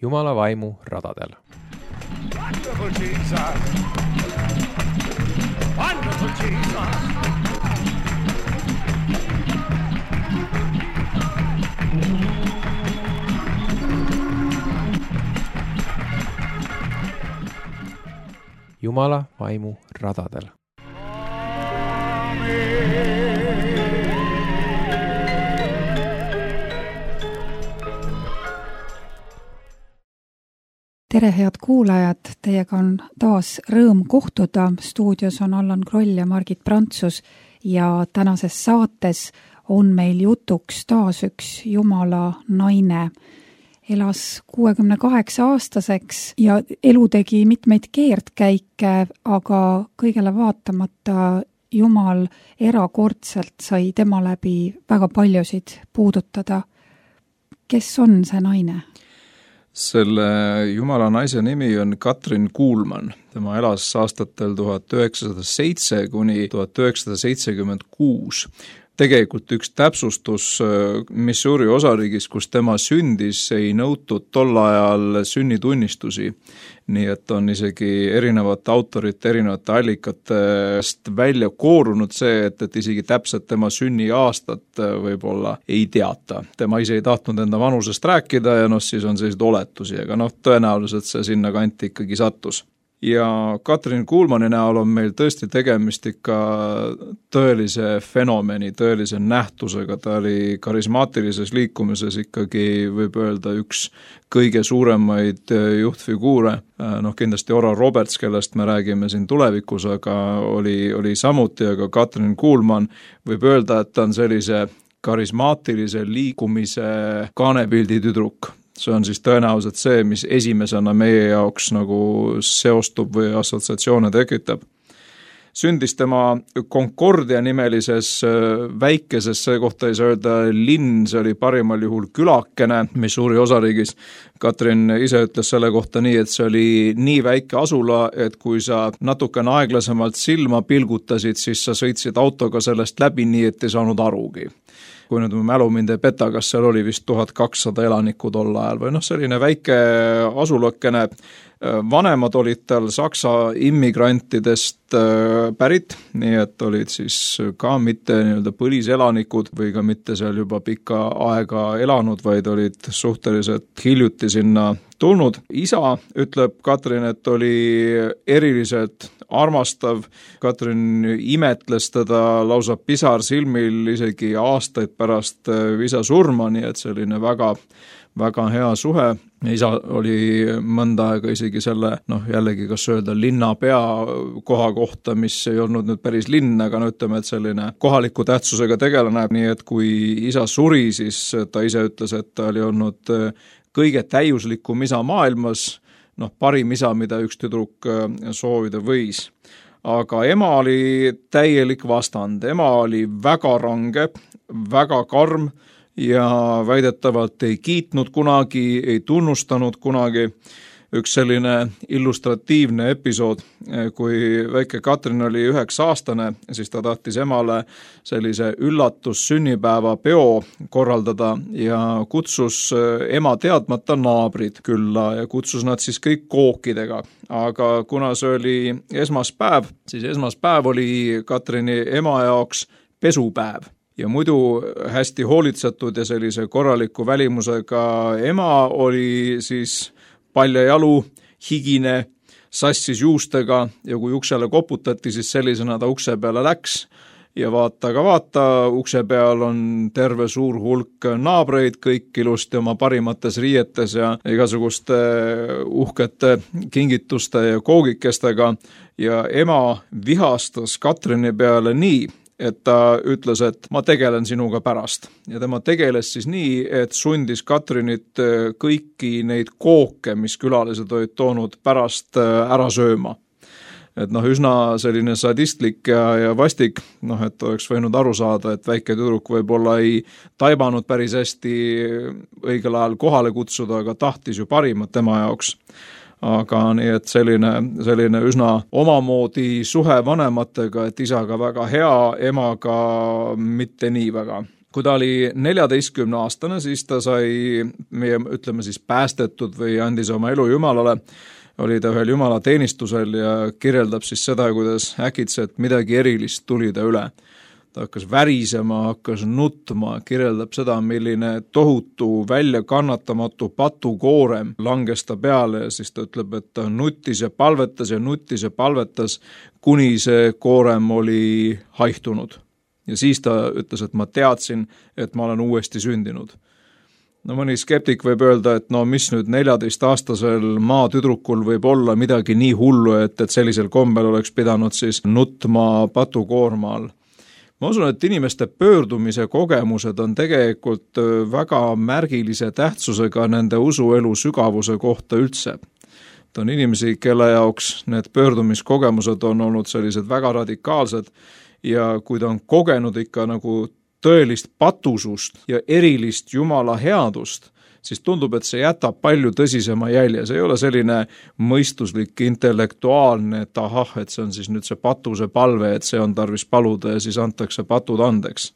Jumala vaimu radadel. Wonderful Jesus! Wonderful Jesus! Jumala vaimu radadel. Tere, head kuulajad! Teiega on taas rõõm kohtuda. Stuudios on Allan Kroll ja Margit Prantsus ja tänases saates on meil jutuks taas üks Jumala naine. Elas 68-aastaseks ja elu tegi mitmeid keerdkäike, aga kõigele vaatamata Jumal erakordselt sai tema läbi väga paljusid puudutada. Kes on see naine? Selle Jumala naise nimi on Katrin Kuhlmann. Tema elas aastatel 1907 kuni 1976. Tegelikult üks täpsustus Missouri osariigis, kus tema sündis, ei nõutud tol ajal sünnitunnistusi. Nii et on isegi erinevate autorite, erinevate allikatest välja koorunud see, et isegi täpselt tema sünniaastat võib-olla ei teata. Tema ise ei tahtnud enda vanusest rääkida ja siis on sellised oletusi, aga tõenäoliselt see sinna kanti ikkagi sattus. Ja Katrin Kuhlmanni näol on meil tõesti tegemist ikka tõelise fenomeni, tõelise nähtusega. Ta oli karismaatilises liikumises ikkagi, võib öelda, üks kõige suuremaid juhtfiguure. Kindlasti Oral Roberts, kellest me räägime siin tulevikus, aga oli samuti, aga Katrin Kuhlmann võib öelda, et ta on sellise karismaatilise liikumise kaanepildi tüdruk. See on siis tõenäoliselt see, mis esimesena meie jaoks nagu seostub või assotsiatsioone tekitab. Sündis tema Concordia nimelises väikeses, see kohta ei saa öelda linn, see oli parimal juhul külakene Missouri osariigis. Katrin ise ütles selle kohta nii, et see oli nii väike asula, et kui sa natukene aeglasemalt silma pilgutasid, siis sa sõitsid autoga sellest läbi nii, et ei saanud arugi. Kui nüüd mälu mind ei peta, kas seal oli vist 1200 elanikku tol ajal või selline väike asulakene. Vanemad olid tal Saksa immigrantidest pärit, nii et olid siis ka mitte põliselanikud või ka mitte seal juba pikka aega elanud, vaid olid suhteliselt hiljuti sinna tulnud. Isa, ütleb Katrin, et oli eriliselt armastav. Katrin imetles teda lausa pisar silmil isegi aastaid pärast isa surma, nii et selline väga hea suhe. Isa oli mõnda aega isegi selle, jällegi kas öelda linnapea koha kohta, mis ei olnud nüüd päris linn, aga ütleme, et selline kohaliku tähtsusega tegelane. Nii et kui isa suri, siis ta ise ütles, et ta oli olnud kõige täiuslikum isa maailmas, parim isa, mida üks tüdruk soovida võis. Aga ema oli täielik vastand. Ema oli väga range, väga karm ja väidetavalt ei kiitnud kunagi, ei tunnustanud kunagi. Üks selline illustratiivne episood, kui väike Katrin oli 9-aastane, siis ta tahtis emale sellise üllatussünnipäeva peo korraldada ja kutsus ema teadmata naabrid külla ja kutsus nad siis kõik kookidega. Aga kuna see oli esmaspäev, siis esmaspäev oli Katrini ema jaoks pesupäev. Ja muidu hästi hoolitsetud ja sellise korraliku välimusega ema oli siis paljajalu, higine, sassis juustega ja kui uksele koputati, siis sellisena ta ukse peale läks. Ja vaata, ukse peal on terve suur hulk naabreid, kõik ilusti oma parimates riietes ja igasuguste uhkete kingituste ja koogikestega. Ja ema vihastas Katrini peale nii, et ta ütles, et ma tegelen sinuga pärast. Ja tema tegeles siis nii, et sundis Katrinit kõiki neid kooke, mis külalised olid toonud pärast ära sööma. Et üsna selline sadistlik ja vastik, et oleks võinud aru saada, et väike tüdruk võib-olla ei taibanud päris hästi õigel ajal kohale kutsuda, aga tahtis ju parimat tema jaoks. Aga nii, et selline üsna omamoodi suhe vanematega, et isaga väga hea, emaga mitte nii väga. Kui ta oli 14-aastane, siis ta sai meie, ütleme siis, päästetud või andis oma elu Jumalale, oli ta ühel Jumala teenistusel ja kirjeldab siis seda, kuidas äkitselt midagi erilist tuli ta üle. Ta hakkas värisema, hakkas nutma, kirjeldab seda, milline tohutu väljakannatamatu patukoorem langes ta peale ja siis ta ütleb, et ta nuttis ja palvetas, kuni see koorem oli haihtunud. Ja siis ta ütles, et ma teadsin, et ma olen uuesti sündinud. No mõni skeptik võib öelda, et no mis nüüd 14-aastasel maatüdrukul võib olla midagi nii hullu, et sellisel kombel oleks pidanud siis nutma patukoorma all. Ma usun, et inimeste pöördumise kogemused on tegelikult väga märgilise tähtsusega nende usuelu sügavuse kohta üldse. Ta on inimesi, kelle jaoks need pöördumiskogemused on olnud sellised väga radikaalsed ja kui ta on kogenud ikka nagu tõelist patusust ja erilist Jumala headust, siis tundub, et see jätab palju tõsisema jälje. See ei ole selline mõistuslik, intellektuaalne, et ahah, et see on siis nüüd see patuse palve, et see on tarvis paluda ja siis antakse patud andeks.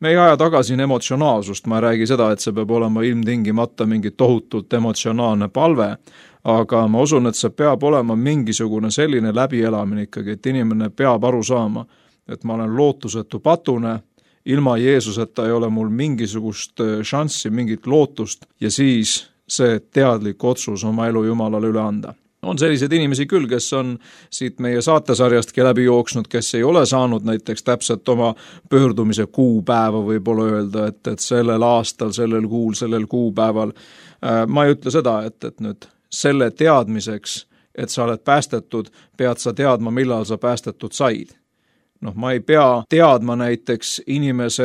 Me ei aja tagasi emotsionaalsust, ma ei räägi seda, et see peab olema ilmtingimata mingi tohutult emotsionaalne palve, aga ma usun, et see peab olema mingisugune selline läbielamine ikkagi, et inimene peab aru saama, et ma olen lootusetu patune, ilma Jeesuseta ei ole mul mingisugust šanssi, mingit lootust ja siis see teadlik otsus oma elu Jumalale üle anda. On selliseid inimesi küll, kes on siit meie saatesarjastki läbi jooksnud, kes ei ole saanud näiteks täpselt oma pöördumise kuupäeva võib-olla öelda, et sellel aastal, sellel kuul, sellel kuupäeval. Ma ei ütle seda, et nüüd selle teadmiseks, et sa oled päästetud, pead sa teadma, millal sa päästetud said. Ma ei pea teadma näiteks inimese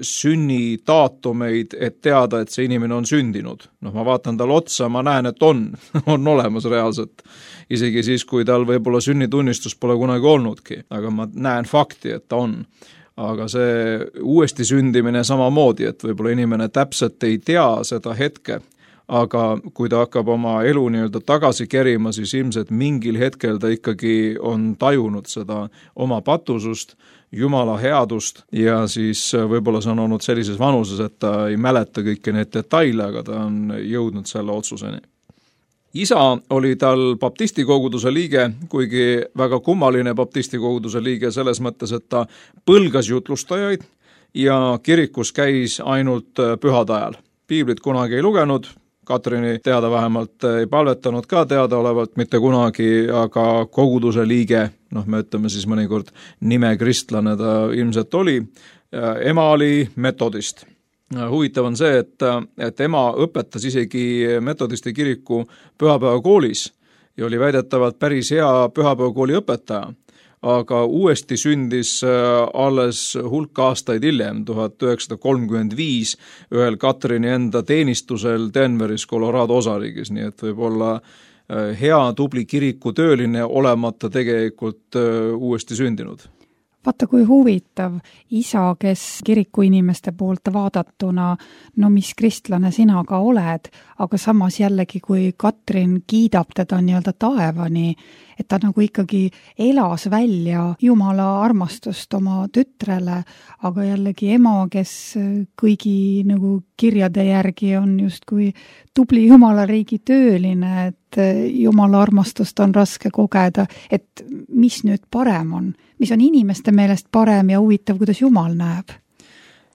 sünni daatumeid, et teada, et see inimene on sündinud. Ma vaatan tal otsa, ma näen, et on olemas reaalselt. Isegi siis, kui tal võib-olla sünnitunnistus pole kunagi olnudki, aga ma näen fakti, et ta on. Aga see uuesti sündimine samamoodi, et võib-olla inimene täpselt ei tea seda hetke, aga kui ta hakkab oma elu nii-öelda tagasi kerima, siis ilmselt mingil hetkel ta ikkagi on tajunud seda oma patusust, Jumala headust ja siis võib-olla see on olnud sellises vanuses, et ta ei mäleta kõiki neid detaile, aga ta on jõudnud selle otsuseni. Isa oli tal baptistikoguduse liige, kuigi väga kummaline baptistikoguduse liige selles mõttes, et ta põlgas jutlustajaid ja kirikus käis ainult pühade ajal. Piiblit kunagi ei lugenud, Katrini teada vähemalt ei palvetanud ka teadaolevalt mitte kunagi, aga koguduse liige, me ütleme siis mõnikord nimekristlane ta ilmselt oli, ema oli metodist. Huvitav on see, et ema õpetas isegi metodisti kiriku pühapäevakoolis ja oli väidetavalt päris hea pühapäevakooli õpetaja. Aga uuesti sündis alles hulk aastaid hiljem, 1935, ühel Katrini enda teenistusel Denveris, Colorado osariigis, nii et võib olla hea tubli kirikutööline olemata tegelikult uuesti sündinud. Vaata, kui huvitav isa, kes kirikuinimeste poolt vaadatuna, mis kristlane sina ka oled, aga samas jällegi, kui Katrin kiidab teda nii-öelda taevani, et ta nagu ikkagi elas välja Jumala armastust oma tütrele, aga jällegi ema, kes kõigi nagu kirjade järgi on justkui tubli Jumala riigi tööline, et Jumala armastust on raske kogeda, et mis nüüd parem on? Mis on inimeste meelest parem ja huvitav, kuidas Jumal näeb?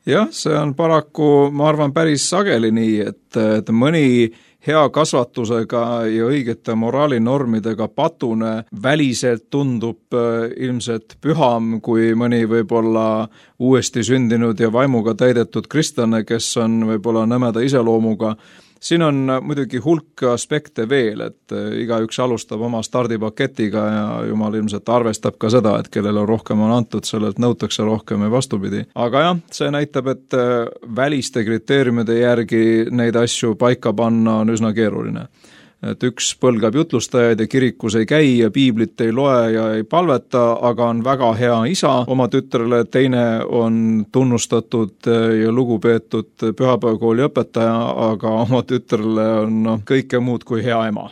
Jah, see on paraku, ma arvan, päris sageli nii, et mõni hea kasvatusega ja õigete moraalinormidega patune väliselt tundub ilmselt püham kui mõni võib-olla uuesti sündinud ja vaimuga täidetud kristlane, kes on võib-olla nõmeda iseloomuga. Siin on muidugi hulk aspekte veel, et igaüks alustab oma stardipaketiga ja Jumal ilmselt arvestab ka seda, et kellele rohkem on antud, sellelt nõutakse rohkem ja vastupidi. Aga jah, see näitab, et väliste kriteeriumide järgi neid asju paika panna on üsna keeruline. Et üks põlgab jutlustajaid ja kirikus ei käi ja piiblit ei loe ja ei palveta, aga on väga hea isa oma tütrele, teine on tunnustatud ja lugupeetud pühapäevakooli õpetaja, aga oma tütrele on kõike muud kui hea ema.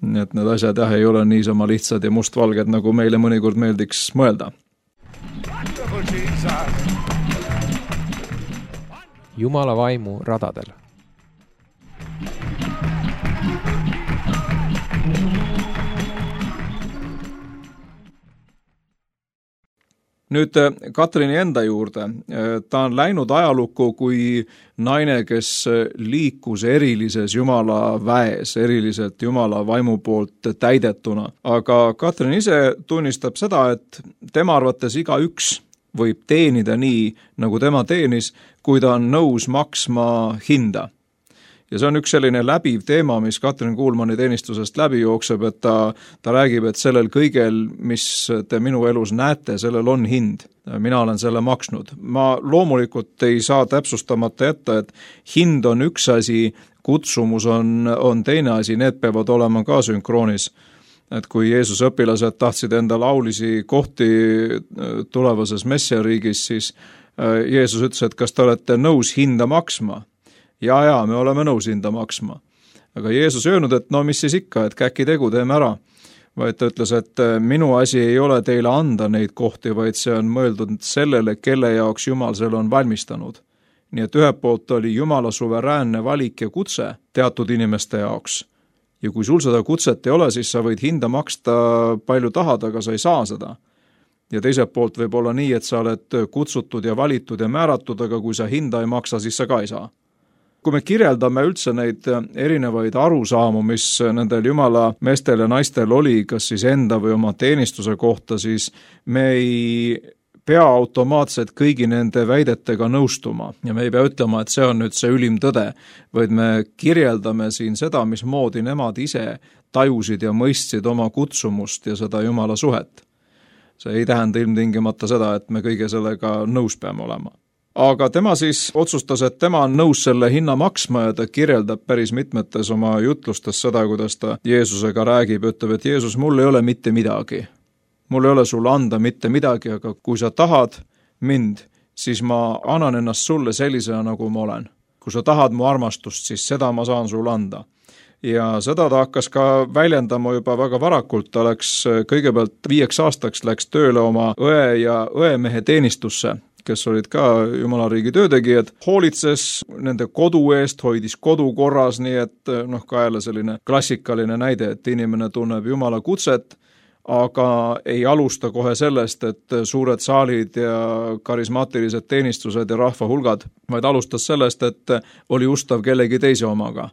Nii et need asjad ei ole niisama lihtsad ja mustvalged, nagu meile mõnikord meeldiks mõelda. Jumala vaimu radadel. Nüüd Katrini enda juurde. Ta on läinud ajalukku kui naine, kes liikus erilises Jumala väes, eriliselt Jumala vaimu poolt täidetuna. Aga Katrin ise tunnistab seda, et tema arvates igaüks võib teenida nii, nagu tema teenis, kui ta on nõus maksma hinda. Ja see on üks selline läbiv teema, mis Katrin Kuulmanni teenistusest läbi jookseb, et ta räägib, et sellel kõigel, mis te minu elus näete, sellel on hind. Mina olen selle maksnud. Ma loomulikult ei saa täpsustamata jätta, et hind on üks asi, kutsumus on teine asi, need peavad olema ka sünkroonis. Et kui Jeesuse õpilased tahtsid enda laulisi kohti tulevases messiariigis, siis Jeesus ütles, et kas te olete nõus hinda maksma? Ja, me oleme nõus hinda maksma. Aga Jeesus öelnud, et no mis siis ikka, et käki tegu teeme ära. Vaid ta ütles, et minu asi ei ole teile anda neid kohti, vaid see on mõeldud sellele, kelle jaoks Jumal selle on valmistanud. Nii et ühelt poolt oli Jumala suveräänne valik ja kutse teatud inimeste jaoks. Ja kui sul seda kutset ei ole, siis sa võid hinda maksta palju tahad, aga sa ei saa seda. Ja teiselt poolt võib olla nii, et sa oled kutsutud ja valitud ja määratud, aga kui sa hinda ei maksa, siis sa ka ei saa. Kui me kirjeldame üldse neid erinevaid arusaamu, mis nendel Jumala meestel ja naistel oli, kas siis enda või oma teenistuse kohta, siis me ei pea automaatselt kõigi nende väidetega nõustuma. Ja me ei pea ütlema, et see on nüüd see ülim tõde, vaid me kirjeldame siin seda, mismoodi nemad ise tajusid ja mõistsid oma kutsumust ja seda Jumala suhet. See ei tähenda ilmtingimata seda, et me kõige sellega nõus peame olema. Aga tema siis otsustas, et tema on nõus selle hinna maksma ja ta kirjeldab päris mitmetes oma jutlustes seda, kuidas ta Jeesusega räägib, ütleb, et Jeesus, mul ei ole mitte midagi. Mul ei ole sulle anda mitte midagi, aga kui sa tahad mind, siis ma annan ennast sulle sellisena, nagu ma olen. Kui sa tahad mu armastust, siis seda ma saan sulle anda. Ja seda ta hakkas ka väljendama juba väga varakult, ta läks kõigepealt 5 aastaks läks tööle oma õe ja õemehe teenistusse, kes olid ka Jumalariigi töötegijad, hoolitses nende kodu eest, hoidis kodu korras, nii et ka jälle selline klassikaline näide, et inimene tunneb Jumala kutset, aga ei alusta kohe sellest, et suured saalid ja karismaatilised teenistused ja rahva hulgad, vaid alustas sellest, et oli ustav kellegi teise omaga.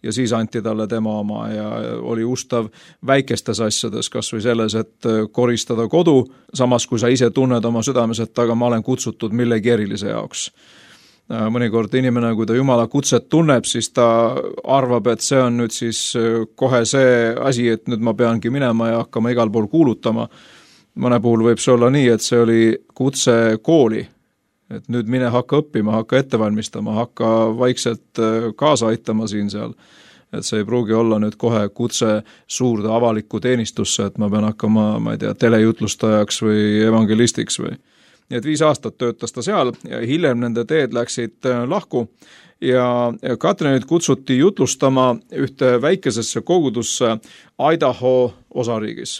Ja siis anti talle tema oma ja oli ustav väikestes asjades, kas või selles, et koristada kodu, samas kui sa ise tunned oma südames, et aga ma olen kutsutud millegi erilise jaoks. Mõnikord inimene, kui ta Jumala kutset tunneb, siis ta arvab, et see on nüüd siis kohe see asi, et nüüd ma peangi minema ja hakkama igal pool kuulutama. Mõne puhul võib see olla nii, et see oli kutse kooli. Et nüüd mine hakka õppima, hakka ette valmistama, hakka vaikselt kaasa aitama siin seal. Et see ei pruugi olla nüüd kohe kutse suurde avalikku teenistusse, et ma pean hakkama, ma ei tea, telejutlustajaks või evangelistiks või. Nii et 5 aastat töötas ta seal ja hiljem nende teed läksid lahku ja Katrinit kutsuti jutlustama ühte väikesesse kogudusse Idaho osariigis.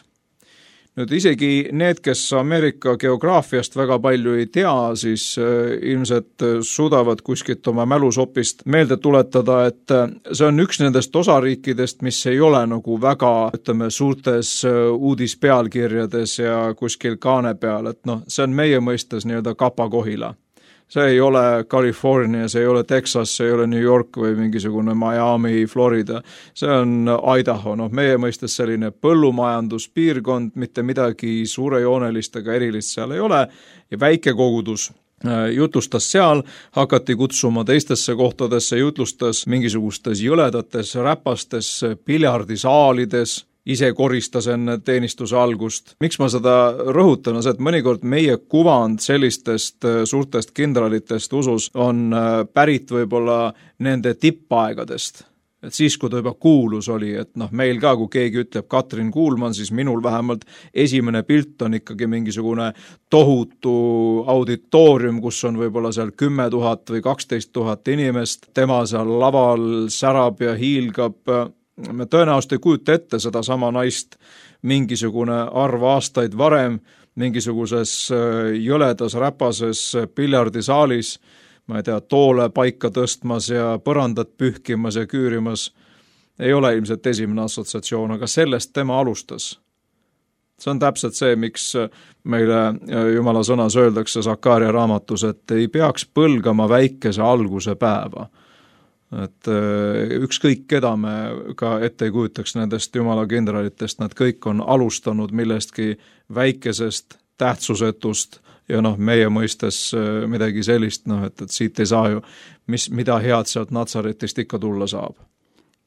Nüüd isegi need, kes Ameerika geograafiast väga palju ei tea, siis ilmselt suudavad kuskilt oma mälusopist meelde tuletada, et see on üks nendest osariikidest, mis ei ole nagu väga, suurtes uudispealkirjades ja kuskil kaane peal, et see on meie mõistes nii-öelda Kapa-Kohila. See ei ole California, see ei ole Texas, see ei ole New York või mingisugune Miami, Florida. See on Idaho, meie mõistes selline põllumajanduspiirkond, mitte midagi suurejoonelist ega erilist seal ei ole ja väike kogudus jutlustas seal, hakati kutsuma teistesse kohtadesse, jutlustas mingisugustes jõledates, räpastes, piljardisaalides, ise koristas enne teenistuse algust. Miks ma seda rõhutan, on see, et mõnikord meie kuvand sellistest suurtest kindralitest usus on pärit võib-olla nende tippaegadest. Et siis, kui ta juba kuulus oli, et meil ka, kui keegi ütleb Katrin Kuulmann, siis minul vähemalt esimene pilt on ikkagi mingisugune tohutu auditoorium, kus on võib-olla seal 10 000 või 12 000 inimest, tema seal laval särab ja hiilgab. Me tõenäoliselt ei kujuta ette seda sama naist mingisugune arv aastaid varem, mingisuguses jõledas räpases piljardisaalis. ma ei tea, toole paika tõstmas ja põrandat pühkimas ja küürimas, ei ole ilmselt esimene assotsiatsioon, aga sellest tema alustas. See on täpselt see, miks meile Jumala sõnas öeldakse Sakaaria raamatus, et ei peaks põlgama väikese alguse päeva. Et ükskõik keda me ka ette ei kujutaks nendest Jumala kindralitest, nad kõik on alustanud millestki väikesest, tähtsusetust ja meie mõistes midagi sellist, et siit ei saa ju, mida head sealt Natsaretist ikka tulla saab.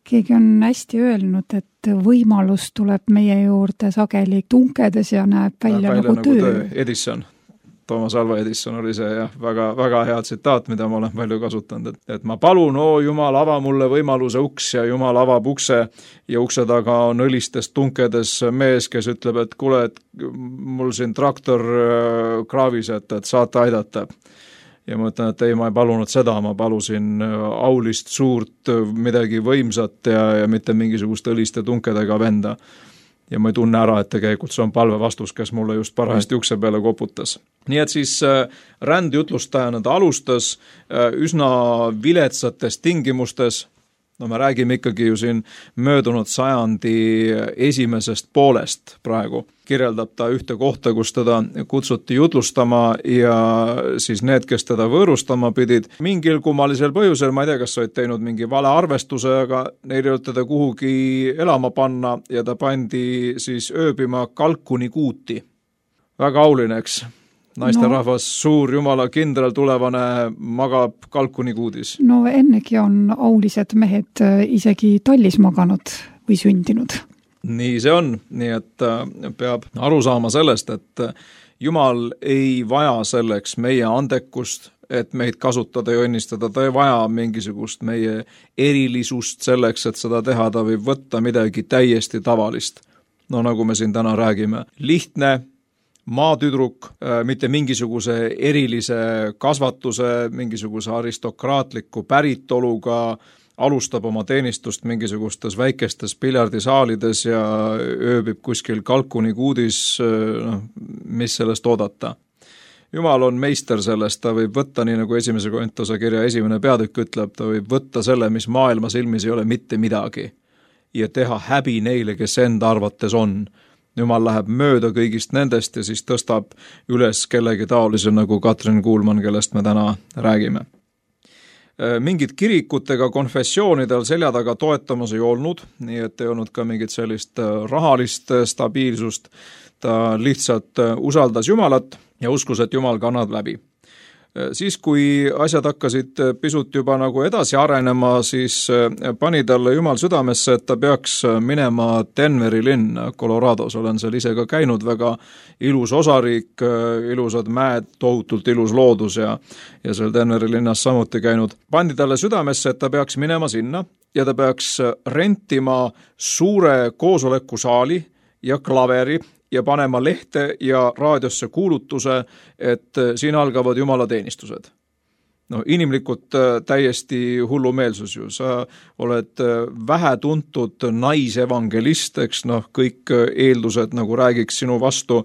Keegi on hästi öelnud, et võimalus tuleb meie juurde sageli tunkedes ja näeb välja nagu töö. Edison. Thomas Alva Edison oli see väga, väga hea tsitaat, mida ma olen palju kasutanud, et ma palun, Jumal, ava mulle võimaluse uks ja Jumal avab ukse ja ukse taga on õlistes tunkedes mees, kes ütleb, et kuule, et mul siin traktor kraavis, et saate aidata. Ja ma ütlen, et ei, ma ei palunud seda, ma palusin aulist suurt midagi võimsat ja mitte mingisugust õliste tunkedega venda. Ja ma ei tunne ära, et tegelikult see on palve vastus, kes mulle just parajasti ukse peale koputas. Nii et siis rändjutlustajana ta alustas üsna viletsates tingimustes. Me räägime ikkagi ju siin möödunud sajandi esimesest poolest praegu. Kirjeldab ta ühte kohta, kus teda kutsuti jutlustama ja siis need, kes teda võõrustama pidid, mingil kummalisel põhjusel, ma ei tea, kas olid teinud mingi vale arvestuse, aga neil ei olnud teda kuhugi elama panna ja ta pandi siis ööbima Kalkuni kuuti. Väga auline, eks? Naisterahvas, suur Jumala kindral tulevane magab Kalkuni kuudis. No ennegi on aulised mehed isegi tallis maganud või sündinud. Nii see on, nii et peab aru saama sellest, et Jumal ei vaja selleks meie andekust, et meid kasutada ja õnnistada, ta ei vaja mingisugust meie erilisust selleks, et seda teha, ta võib võtta midagi täiesti tavalist. Nagu me siin täna räägime, lihtne maatüdruk, mitte mingisuguse erilise kasvatuse, mingisuguse aristokraatliku päritoluga, alustab oma teenistust mingisugustes väikestes piljardisaalides ja ööbib kuskil Kalkuni kuudis, mis sellest oodata. Jumal on meister sellest, ta võib võtta, nii nagu esimese Korintuse kirja esimene peatükk ütleb, ta võib võtta selle, mis maailma silmis ei ole mitte midagi ja teha häbi neile, kes enda arvates on. Jumal läheb mööda kõigist nendest ja siis tõstab üles kellegi taolise nagu Katrin Kuulman, kellest me täna räägime. Mingid kirikutega konfessioonidel selja taga toetamas ei olnud, nii et ei olnud ka mingit sellist rahalist stabiilsust. Ta lihtsalt usaldas Jumalat ja uskus, et Jumal kannab läbi. Siis, kui asjad hakkasid pisut juba nagu edasi arenema, siis pani talle Jumal südamesse, et ta peaks minema Denveri linna Colorados. Olen seal ise ka käinud, väga ilus osariik, ilusad mäed, tohutult ilus loodus ja seal Denveri linnas samuti käinud. Pandi talle südamesse, et ta peaks minema sinna ja ta peaks rentima suure koosolekusaali ja klaveri ja panema lehte ja raadiosse kuulutuse, et siin algavad Jumala teenistused. Inimlikult täiesti hullumeelsus ju. Sa oled vähe tuntud naisevangelist, eks kõik eeldused nagu räägiks sinu vastu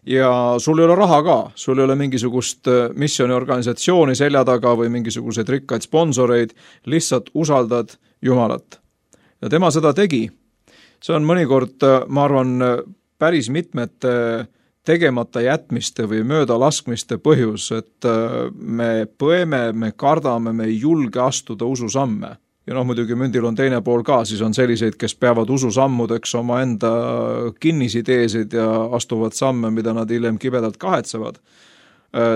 ja sul ei ole raha ka. Sul ei ole mingisugust missioniorganisatsiooni selja taga või mingisuguseid rikkaid sponsoreid, lihtsalt usaldad Jumalat. Ja tema seda tegi. See on mõnikord, ma arvan, päris mitmete tegemata jätmiste või möödalaskmiste põhjus, et me põeme, me kardame, me ei julge astuda ususamme. Ja muidugi mündil on teine pool ka, siis on selliseid, kes peavad ususammudeks oma enda kinnisideesid ja astuvad samme, mida nad hiljem kibedalt kahetsevad.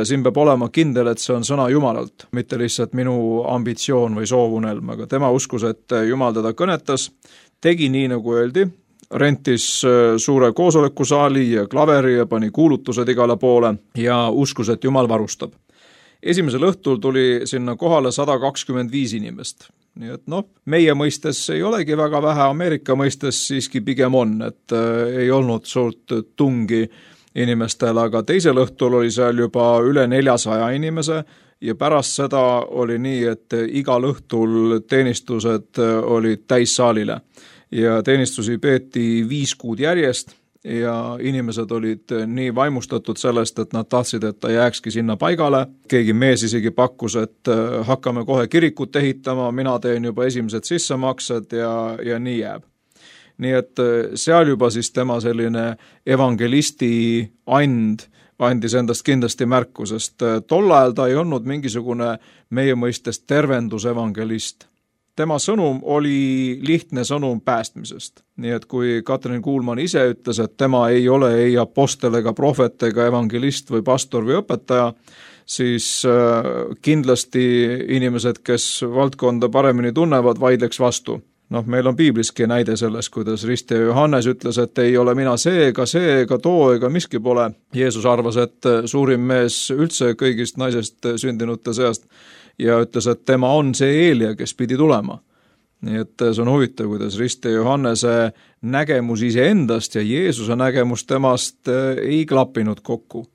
Siin peab olema kindel, et see on sõna Jumalalt, mitte lihtsalt minu ambitsioon või soovunelm, aga tema uskus, et Jumal teda kõnetas, tegi nii, nagu öeldi, rentis suure koosolekusaali ja klaveri ja pani kuulutused igale poole ja uskus, et Jumal varustab. Esimesel õhtul tuli sinna kohale 125 inimest. Nii et meie mõistes ei olegi väga vähe, Ameerika mõistes siiski pigem on, et ei olnud suurt tungi inimestel, aga teisel õhtul oli seal juba üle 400 inimese ja pärast seda oli nii, et igal õhtul teenistused olid täissaalile. Ja teenistusi peeti 5 kuud järjest ja inimesed olid nii vaimustatud sellest, et nad tahtsid, et ta jääkski sinna paigale. Keegi mees isegi pakkus, et hakkame kohe kirikut ehitama, mina teen juba esimesed sissemaksed ja nii jääb. Nii et seal juba siis tema selline evangelisti andis endast kindlasti märku, sest tol ajal ta ei olnud mingisugune meie mõistes tervendusevangelist. Tema sõnum oli lihtne sõnum päästmisest. Nii et kui Katrin Kuulman ise ütles, et tema ei ole ei apostel ega prohvet ega evangelist või pastor või õpetaja, siis kindlasti inimesed, kes valdkonda paremini tunnevad, vaidleks vastu. Meil on piibliski näide selles, kuidas Ristja Johannes ütles, et ei ole mina see, ega too, ega miski pole. Jeesus arvas, et suurim mees üldse kõigist naisest sündinute seast ja ütles, et tema on see Eelia, kes pidi tulema. Nii et see on huvitav, kuidas Ristja Johannese nägemus iseendast ja Jeesuse nägemus temast ei klappinud kokku.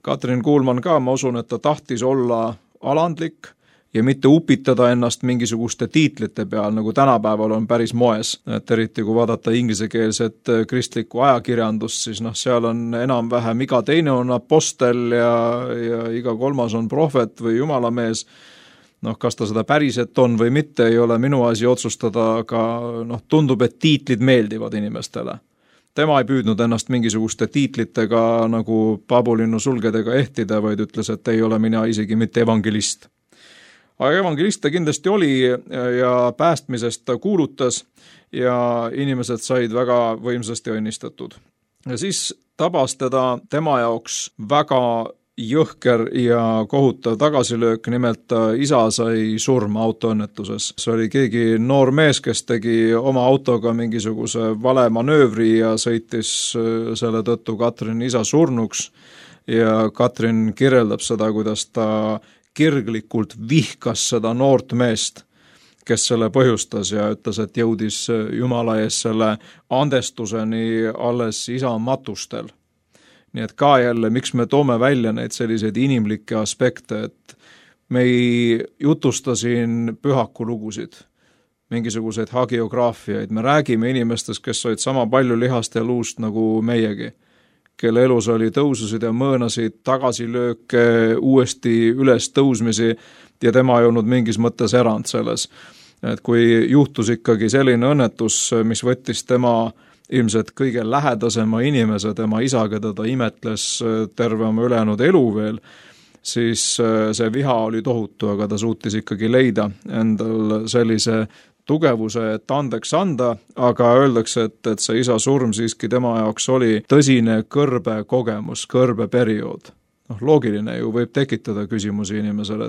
Katrin Kuulman ka, ma usun, et ta tahtis olla alandlik ja mitte upitada ennast mingisuguste tiitlite peal, nagu tänapäeval on päris moes. Et eriti kui vaadata inglisekeelset kristlikku ajakirjandust, siis seal on enam-vähem iga teine on apostel ja iga kolmas on prohvet või jumalamees. Kas ta seda päriselt on või mitte, ei ole minu asi otsustada, aga tundub, et tiitlid meeldivad inimestele. Tema ei püüdnud ennast mingisuguste tiitlitega nagu paabulinnu sulgedega ehtida, vaid ütles, et ei ole mina isegi mitte evangelist. Aga evangelist ta kindlasti oli ja päästmisest ta kuulutas ja inimesed said väga võimsasti õnnistatud. Ja siis tabas tema jaoks väga jõhker ja kohutav tagasilöök, nimelt isa sai surma autoõnnetuses. See oli keegi noor mees, kes tegi oma autoga mingisuguse vale manöövri ja sõitis selle tõttu Katrin isa surnuks ja Katrin kirjeldab seda, kuidas ta kirglikult vihkas seda noort meest, kes selle põhjustas ja ütles, et jõudis Jumala ees selle andestuseni alles isa matustel. Nii et ka jälle, miks me toome välja neid selliseid inimlikke aspekte, et me ei jutusta siin pühakulugusid, mingisuguseid hagiograafiaid, me räägime inimestest, kes olid sama palju lihast ja luust nagu meiegi, kelle elus oli tõususid ja mõõnasid, tagasilööke, uuesti üles tõusmisi ja tema ei olnud mingis mõttes erand selles. Et kui juhtus ikkagi selline õnnetus, mis võttis tema ilmselt kõige lähedasema inimese, tema isa, keda ta imetles terve oma ülejäänud elu veel, siis see viha oli tohutu, aga ta suutis ikkagi leida endal sellise tugevuse, et andeks anda, aga öeldakse, et see isa surm siiski tema jaoks oli tõsine kõrbe kogemus, kõrbe periood. Loogiline ju võib tekitada küsimusi inimesele,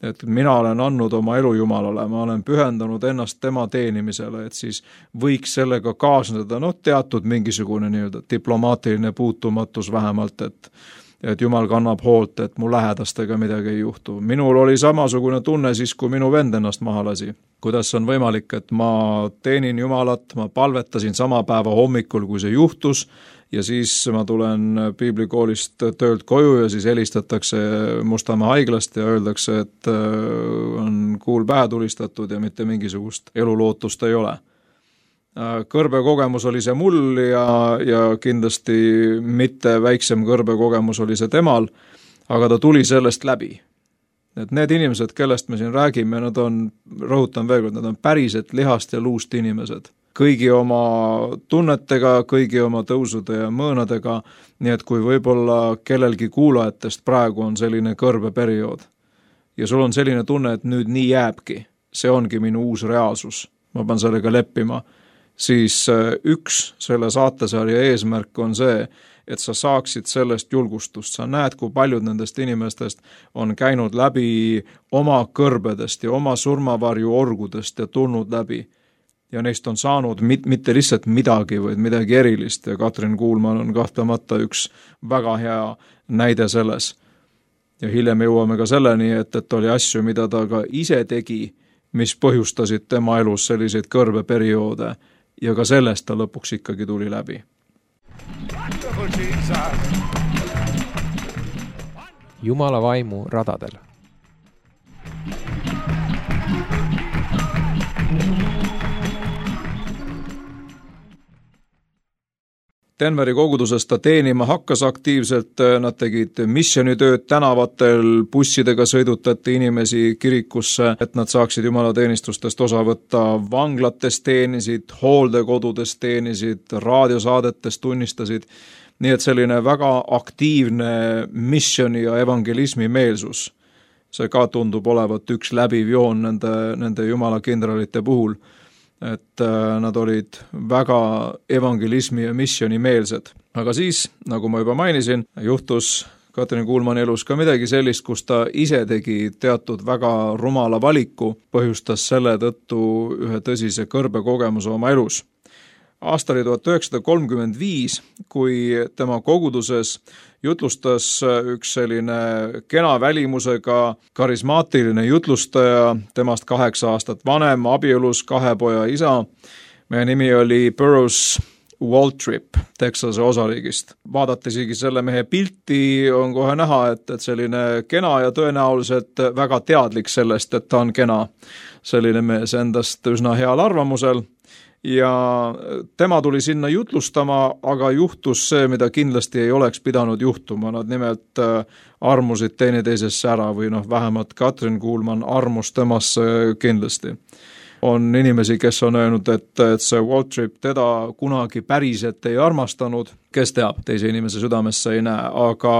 et mina olen andnud oma elu Jumalale, ma olen pühendanud ennast tema teenimisele, et siis võiks sellega kaasneda teatud mingisugune diplomaatiline puutumatus vähemalt, et Jumal kannab hoolt, et mu lähedastega midagi ei juhtu. Minul oli samasugune tunne siis, kui minu vend ennast maha lasi. Kuidas on võimalik, et ma teenin Jumalat, ma palvetasin sama päeva hommikul, kui see juhtus, ja siis ma tulen piiblikoolist töölt koju ja siis helistatakse Mustamäe haiglast ja öeldakse, et on kuul pähe tulistatud ja mitte mingisugust elulootust ei ole. Kõrbe kogemus oli see mul ja kindlasti mitte väiksem kõrbe kogemus oli see temal, aga ta tuli sellest läbi. Et need inimesed, kellest me siin räägime, nad on, rõhutan veel kord, nad on päriselt lihast ja luust inimesed. Kõigi oma tunnetega, kõigi oma tõusude ja mõõnadega, nii et kui võib-olla kellelgi kuulajatest praegu on selline kõrbe periood ja sul on selline tunne, et nüüd nii jääbki, see ongi minu uus reaalsus, ma pean sellega leppima, siis üks selle saatesarja eesmärk on see, et sa saaksid sellest julgustust. Sa näed, kui paljud nendest inimestest on käinud läbi oma kõrbedest ja oma surmavarju orgudest ja tulnud läbi. Ja neist on saanud mitte lihtsalt midagi, vaid midagi erilist ja Katrin Kuulman on kahtlemata üks väga hea näide selles. Ja hiljem jõuame ka selleni, et oli asju, mida ta ka ise tegi, mis põhjustasid tema elus selliseid kõrbeperioode ja ka sellest ta lõpuks ikkagi tuli läbi. Jumala vaimu radadel. Denveri koguduses ta teenima hakkas aktiivselt, nad tegid missioonitööd tänavatel, bussidega sõidutati inimesi kirikusse, et nad saaksid jumalateenistustest osa võtta, vanglates teenisid, hooldekodudes teenisid, raadiosaadetes tunnistasid, nii et selline väga aktiivne missiooni ja evangelismi meelsus. See ka tundub olevat üks läbiv joon nende jumala kindralite puhul, et nad olid väga evangelismi ja missiooni meelsed. Aga siis, nagu ma juba mainisin, juhtus Katrin Kuulmani elus ka midagi sellist, kus ta ise tegi teatud väga rumala valiku, põhjustas selle tõttu ühe tõsise kõrbekogemuse oma elus. Aasta oli 1935, kui tema koguduses jutlustas üks selline kena välimusega karismaatiline jutlustaja, temast 8 aastat vanem, abielus 2 poja isa. Meie nimi oli Burroughs Waltrip Texase osariigist. Vaadati isegi selle mehe pilti, on kohe näha, et selline kena ja tõenäoliselt väga teadlik sellest, et ta on kena. Selline mees endast üsna heal arvamusel. Ja tema tuli sinna jutlustama, aga juhtus see, mida kindlasti ei oleks pidanud juhtuma. Nad nimelt armusid teineteisesse ära või vähemalt Katrin Kuulman armus temasse kindlasti. On inimesi, kes on öelnud, et see Waltrip teda kunagi päriselt ei armastanud, kes teab, teise inimese südamesse ei näe, aga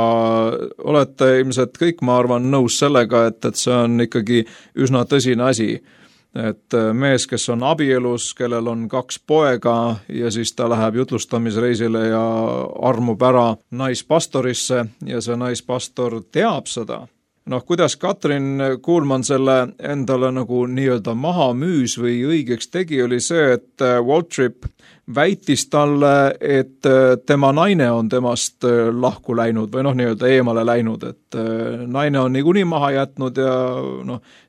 olete ilmselt kõik, ma arvan, nõus sellega, et see on ikkagi üsna tõsine asi. Et mees, kes on abielus, kellel on 2 poega ja siis ta läheb jutlustamisreisile ja armub ära naispastorisse ja see naispastor teab seda. Kuidas Katrin Kuulman selle endale nagu nii-öelda maha müüs või õigeks tegi, oli see, et Waltrip väitis talle, et tema naine on temast lahku läinud või nii-öelda eemale läinud, et naine on niikuinii maha jätnud ja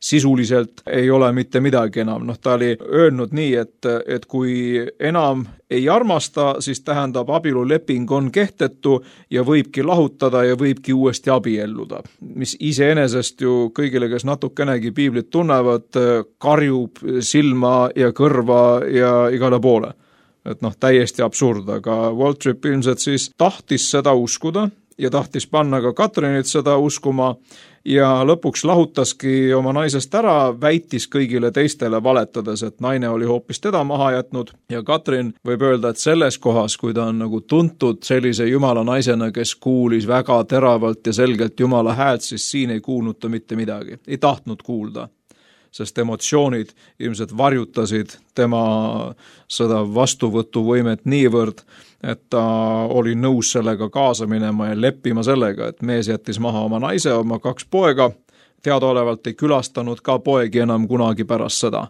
sisuliselt ei ole mitte midagi enam. Ta oli öelnud nii, et kui enam ei armasta, siis tähendab abieluleping on kehtetu ja võibki lahutada ja võibki uuesti abielluda, mis iseenesest ju kõigile, kes natukenegi piiblit tunnevad, karjub silma ja kõrva ja igale poole. Et täiesti absurd, aga Waltrip ilmselt siis tahtis seda uskuda ja tahtis panna ka Katrinit seda uskuma ja lõpuks lahutaski oma naisest ära, väitis kõigile teistele valetades, et naine oli hoopis teda maha jätnud ja Katrin võib öelda, et selles kohas, kui ta on nagu tuntud sellise jumala naisena, kes kuulis väga teravalt ja selgelt jumala häält, siis siin ei kuulnud ta mitte midagi, ei tahtnud kuulda. Sest emotsioonid ilmselt varjutasid tema seda vastuvõtuvõimet niivõrd, et ta oli nõus sellega kaasa minema ja leppima sellega, et mees jättis maha oma naise, oma 2 poega, teadaolevalt ei külastanud ka poegi enam kunagi pärast seda.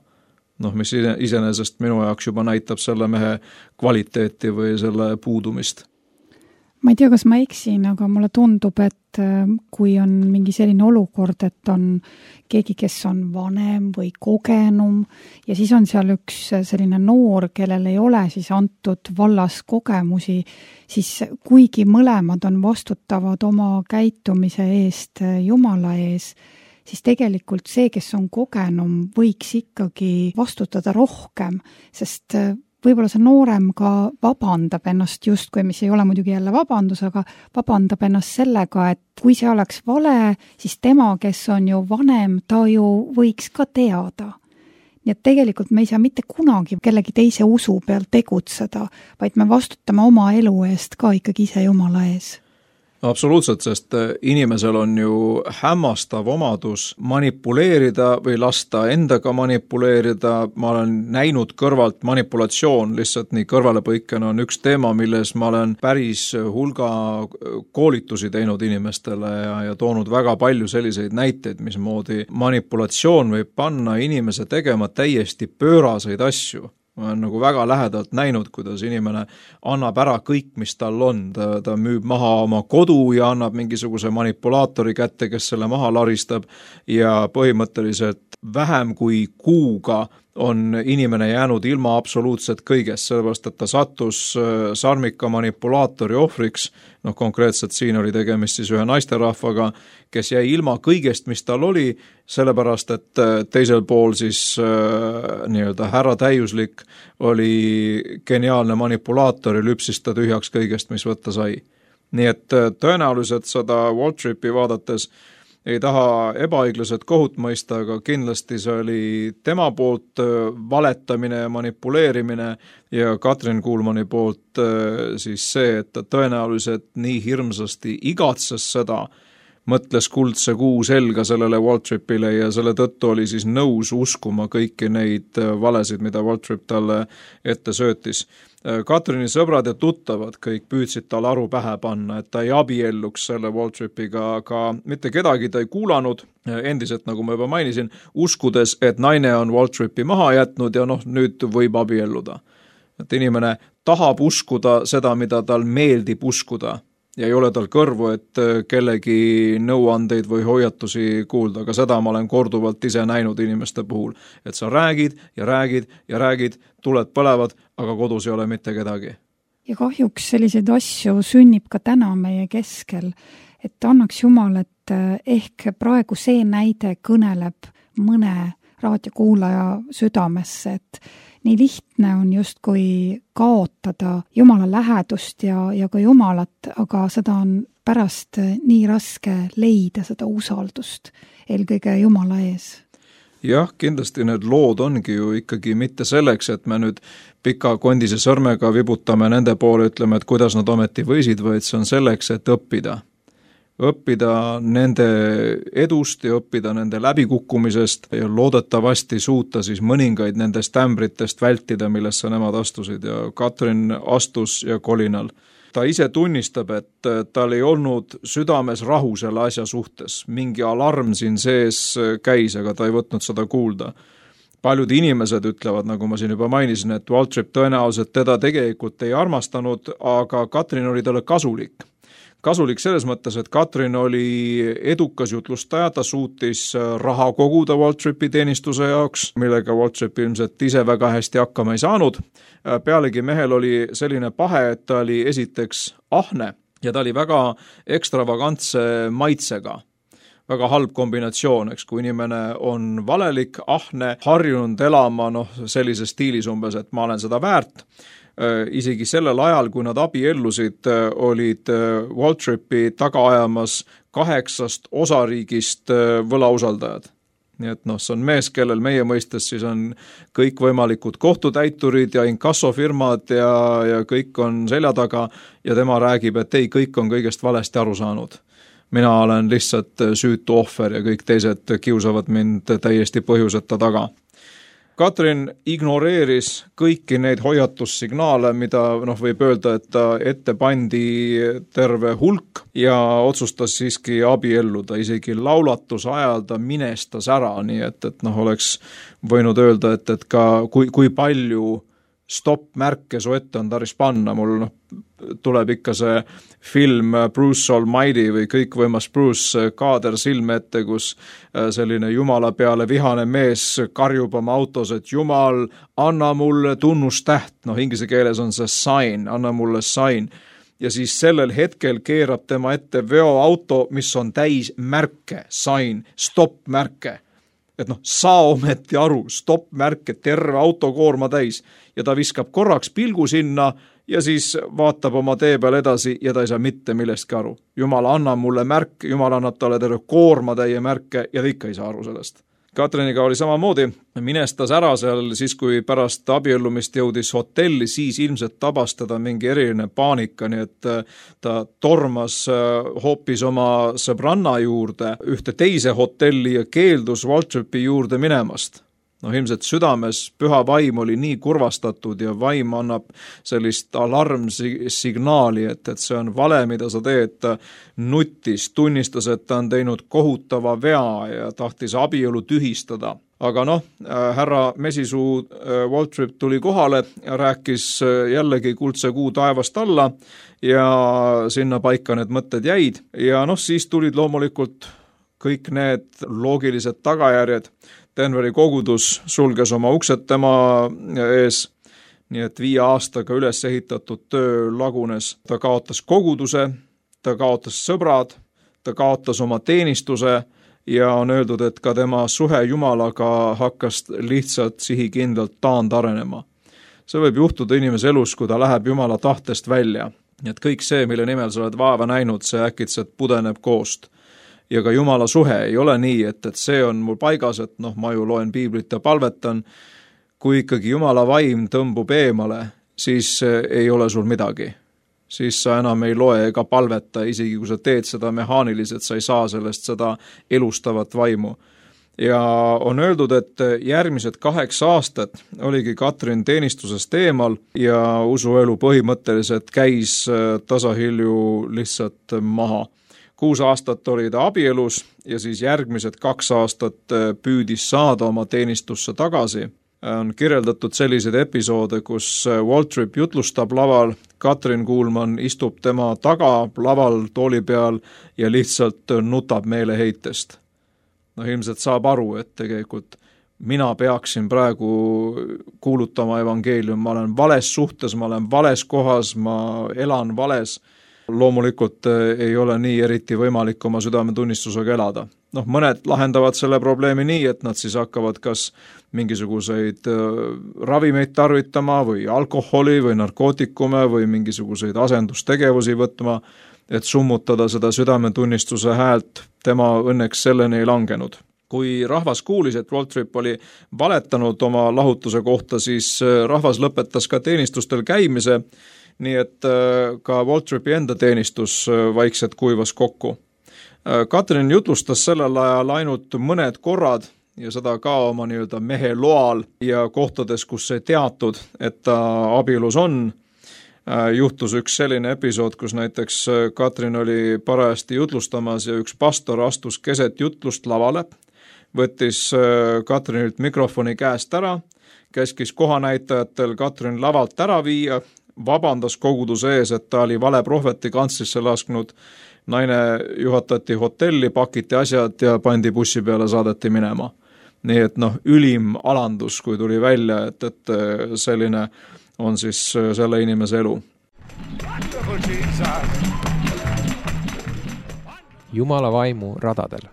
Mis iseenesest minu jaoks juba näitab selle mehe kvaliteeti või selle puudumist. Ma ei tea, kas ma eksin, aga mulle tundub, et kui on mingi selline olukord, et on keegi, kes on vanem või kogenum ja siis on seal üks selline noor, kellel ei ole siis antud vallas kogemusi, siis kuigi mõlemad on vastutavad oma käitumise eest Jumala ees, siis tegelikult see, kes on kogenum, võiks ikkagi vastutada rohkem, sest võib-olla see noorem ka vabandab ennast justkui, mis ei ole muidugi jälle vabandus, aga vabandab ennast sellega, et kui see oleks vale, siis tema, kes on ju vanem, ta ju võiks ka teada. Nii et tegelikult me ei saa mitte kunagi kellegi teise usu peal tegutseda, vaid me vastutame oma elu eest ka ikkagi ise Jumala ees. Absoluutselt, sest inimesel on ju hämmastav omadus manipuleerida või lasta endaga manipuleerida. Ma olen näinud kõrvalt manipulatsioon, lihtsalt nii kõrvalepõikena on üks teema, milles ma olen päris hulga koolitusi teinud inimestele ja toonud väga palju selliseid näiteid, mismoodi manipulatsioon võib panna inimese tegema täiesti pööraseid asju. Ma olen nagu väga lähedalt näinud, kuidas inimene annab ära kõik, mis tal on. Ta müüb maha oma kodu ja annab mingisuguse manipulaatori kätte, kes selle maha laristab ja põhimõtteliselt vähem kui kuuga on inimene jäänud ilma absoluutselt kõigest, sellepärast, et ta sattus sarmika manipulaatori ohvriks, konkreetselt siin oli tegemist siis ühe naisterahvaga, kes jäi ilma kõigest, mis tal oli, sellepärast, et teisel pool siis nii-öelda härra täiuslik oli geniaalne manipulaator ja lüpsis ta tühjaks kõigest, mis võtta sai. Nii et tõenäoliselt seda Waltripi vaadates ei taha ebaõiglased kohut mõista, aga kindlasti see oli tema poolt valetamine ja manipuleerimine ja Katrin Kuulmani poolt siis see, et ta tõenäoliselt nii hirmsasti igatses seda, mõtles kuldse kuu selga sellele Waltripile ja selle tõttu oli siis nõus uskuma kõiki neid valesid, mida Waltrip talle ette söötis. Katrini sõbrad ja tuttavad kõik püüdsid tal aru pähe panna, et ta ei abielluks selle Waltripiga, aga mitte kedagi ta ei kuulanud, endiselt, nagu ma juba mainisin, uskudes, et naine on Waltripi maha jätnud ja nüüd võib abielluda. Et inimene tahab uskuda seda, mida tal meeldib uskuda ja ei ole tal kõrvu, et kellegi nõuandeid või hoiatusi kuulda, aga seda ma olen korduvalt ise näinud inimeste puhul, et sa räägid ja räägid ja räägid, tuled põlevad, aga kodus ei ole mitte kedagi. Ja kahjuks selliseid asju sünnib ka täna meie keskel, et annaks Jumal, et ehk praegu see näide kõneleb mõne raadiokuulaja südamesse, et nii lihtne on justkui kaotada Jumala lähedust ja ka Jumalat, aga seda on pärast nii raske leida seda usaldust eelkõige Jumala ees. Jah, kindlasti need lood ongi ju ikkagi mitte selleks, et me nüüd pika kondise sõrmega vibutame nende poole, ütleme, et kuidas nad ometi võisid, vaid see on selleks, et õppida nende edust ja õppida nende läbikukkumisest ja loodetavasti suuta siis mõningaid nendest ämbritest vältida, millesse nemad astusid ja Katrin astus ja kolinal. Ta ise tunnistab, et tal ei olnud südames rahu selle asja suhtes. Mingi alarm siin sees käis, aga ta ei võtnud seda kuulda. Paljud inimesed ütlevad, nagu ma siin juba mainisin, et Waltrip tõenäoliselt teda tegelikult ei armastanud, aga Katrin oli talle kasulik. Kasulik selles mõttes, et Katrin oli edukas jutlustaja, ta suutis raha koguda Waltripi teenistuse jaoks, millega Waltrip ilmselt ise väga hästi hakkama ei saanud. Pealegi mehel oli selline pahe, et ta oli esiteks ahne ja ta oli väga ekstravagantse maitsega. Väga halb kombinatsioon, eks, kui inimene on valelik, ahne, harjunud elama sellises stiilis umbes, et ma olen seda väärt. Isegi sellel ajal, kui nad abiellusid, olid Waltripi taga ajamas 8 osariigist võlausaldajad. Nii et see on mees, kellel meie mõistes siis on kõik võimalikud kohtutäiturid ja inkassofirmad ja kõik on selja taga ja tema räägib, et ei, kõik on kõigest valesti aru saanud. Mina olen lihtsalt süütu ohver ja kõik teised kiusavad mind täiesti põhjuseta taga. Katrin ignoreeris kõiki neid hoiatussignaale, mida võib öelda, et ta ette pandi terve hulk ja otsustas siiski abielluda. Isegi laulatuse ajal ta minestas ära, nii et oleks võinud öelda, et ka kui palju stopp-märke su ette on tarvis panna. Mul tuleb ikka see film Bruce Almighty või kõikvõimas Bruce kaader silme ette, kus selline Jumala peale vihane mees karjub oma autos, et Jumal, anna mulle tunnustäht. Inglise keeles on see sign, anna mulle sign. Ja siis sellel hetkel keerab tema ette veoauto, mis on täis märke, sign, stopp-märke. Et saa ometi aru, stopp-märke, terve autokoorma täis ja ta viskab korraks pilgu sinna ja siis vaatab oma tee peal edasi ja ta ei saa mitte millestki aru. Jumal annab mulle märk, Jumal annab talle terve koorma täie märke ja ta ikka ei saa aru sellest. Katriniga oli samamoodi, minestas ära seal siis, kui pärast abiellumist jõudis hotelli, siis ilmselt tabas teda mingi eriline paanika, nii et ta tormas hoopis oma sõbranna juurde ühte teise hotelli ja keeldus Waltripi juurde minemast. Ilmselt südames püha vaim oli nii kurvastatud ja vaim annab sellist alarmsignaali, et see on vale, mida sa teed. Ta nuttis, tunnistas, et ta on teinud kohutava vea ja tahtis abielu tühistada. Aga härra Mesisuu Waltrip tuli kohale ja rääkis jällegi kuldse kuu taevast alla ja sinna paika need mõtted jäid. Ja siis tulid loomulikult kõik need loogilised tagajärjed. Denveri kogudus sulges oma uksed tema ees, nii et 5 aastaga üles ehitatud töö lagunes. Ta kaotas koguduse, ta kaotas sõbrad, ta kaotas oma teenistuse ja on öeldud, et ka tema suhe Jumalaga hakkas lihtsalt sihikindlalt taandarenema. See võib juhtuda inimese elus, kui ta läheb Jumala tahtest välja. Nii et kõik see, mille nimel sa oled vaeva näinud, see äkitselt pudeneb koost. Ja ka Jumala suhe ei ole nii, et see on mul paigas, et ma ju loen piiblit ja palvetan. Kui ikkagi Jumala vaim tõmbub eemale, siis ei ole sul midagi. Siis sa enam ei loe ega palveta, isegi kui sa teed seda mehaaniliselt, sa ei saa sellest seda elustavat vaimu. Ja on öeldud, et järgmised 8 aastat oligi Katrin teenistusest eemal ja usuelu põhimõtteliselt käis tasahilju lihtsalt maha. 6 aastat oli ta abielus ja siis järgmised 2 aastat püüdis saada oma teenistusse tagasi. On kirjeldatud selliseid episoode, kus Waltrip jutlustab laval, Katrin Kuulman istub tema taga laval tooli peal ja lihtsalt nutab meeleheitest. Ilmselt saab aru, et tegelikult mina peaksin praegu kuulutama evangeelium, ma olen vales suhtes, ma olen vales kohas, ma elan vales. Loomulikult ei ole nii eriti võimalik oma südametunnistusega elada. Mõned lahendavad selle probleemi nii, et nad siis hakkavad kas mingisuguseid ravimeid tarvitama või alkoholi või narkootikume või mingisuguseid asendustegevusi võtma, et summutada seda südametunnistuse häält. Tema õnneks selleni ei langenud. Kui rahvas kuulis, et Waltrip oli valetanud oma lahutuse kohta, siis rahvas lõpetas ka teenistustel käimise, nii et ka Waltripi enda teenistus vaikselt kuivas kokku. Katrin jutlustas sellel ajal ainult mõned korrad ja seda ka oma nii-öelda mehe loal ja kohtades, kus ei teatud, et ta abielus on. Juhtus üks selline episood, kus näiteks Katrin oli parajasti jutlustamas ja üks pastor astus keset jutlust lavale, võttis Katrinilt mikrofoni käest ära, käskis kohanäitajatel Katrin lavalt ära viia, vabandas koguduse ees, et ta oli vale prohveti kantslisse lasknud, naine juhatati hotelli, pakiti asjad ja pandi bussi peale, saadeti minema. Nii et ülim alandus, kui tuli välja, et selline on siis selle inimese elu. Jumala vaimu radadel.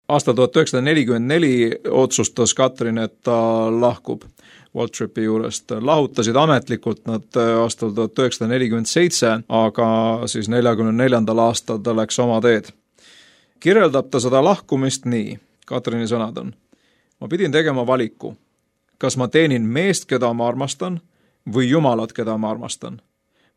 Aastal 1944 otsustas Katrin, et ta lahkub Waltripi juurest. Lahutasid ametlikult nad aastal 1947, aga siis 1944. aastal ta läks oma teed. Kirjeldab ta seda lahkumist nii, Katrini sõnad on. Ma pidin tegema valiku. Kas ma teenin meest, keda ma armastan, või Jumalat, keda ma armastan?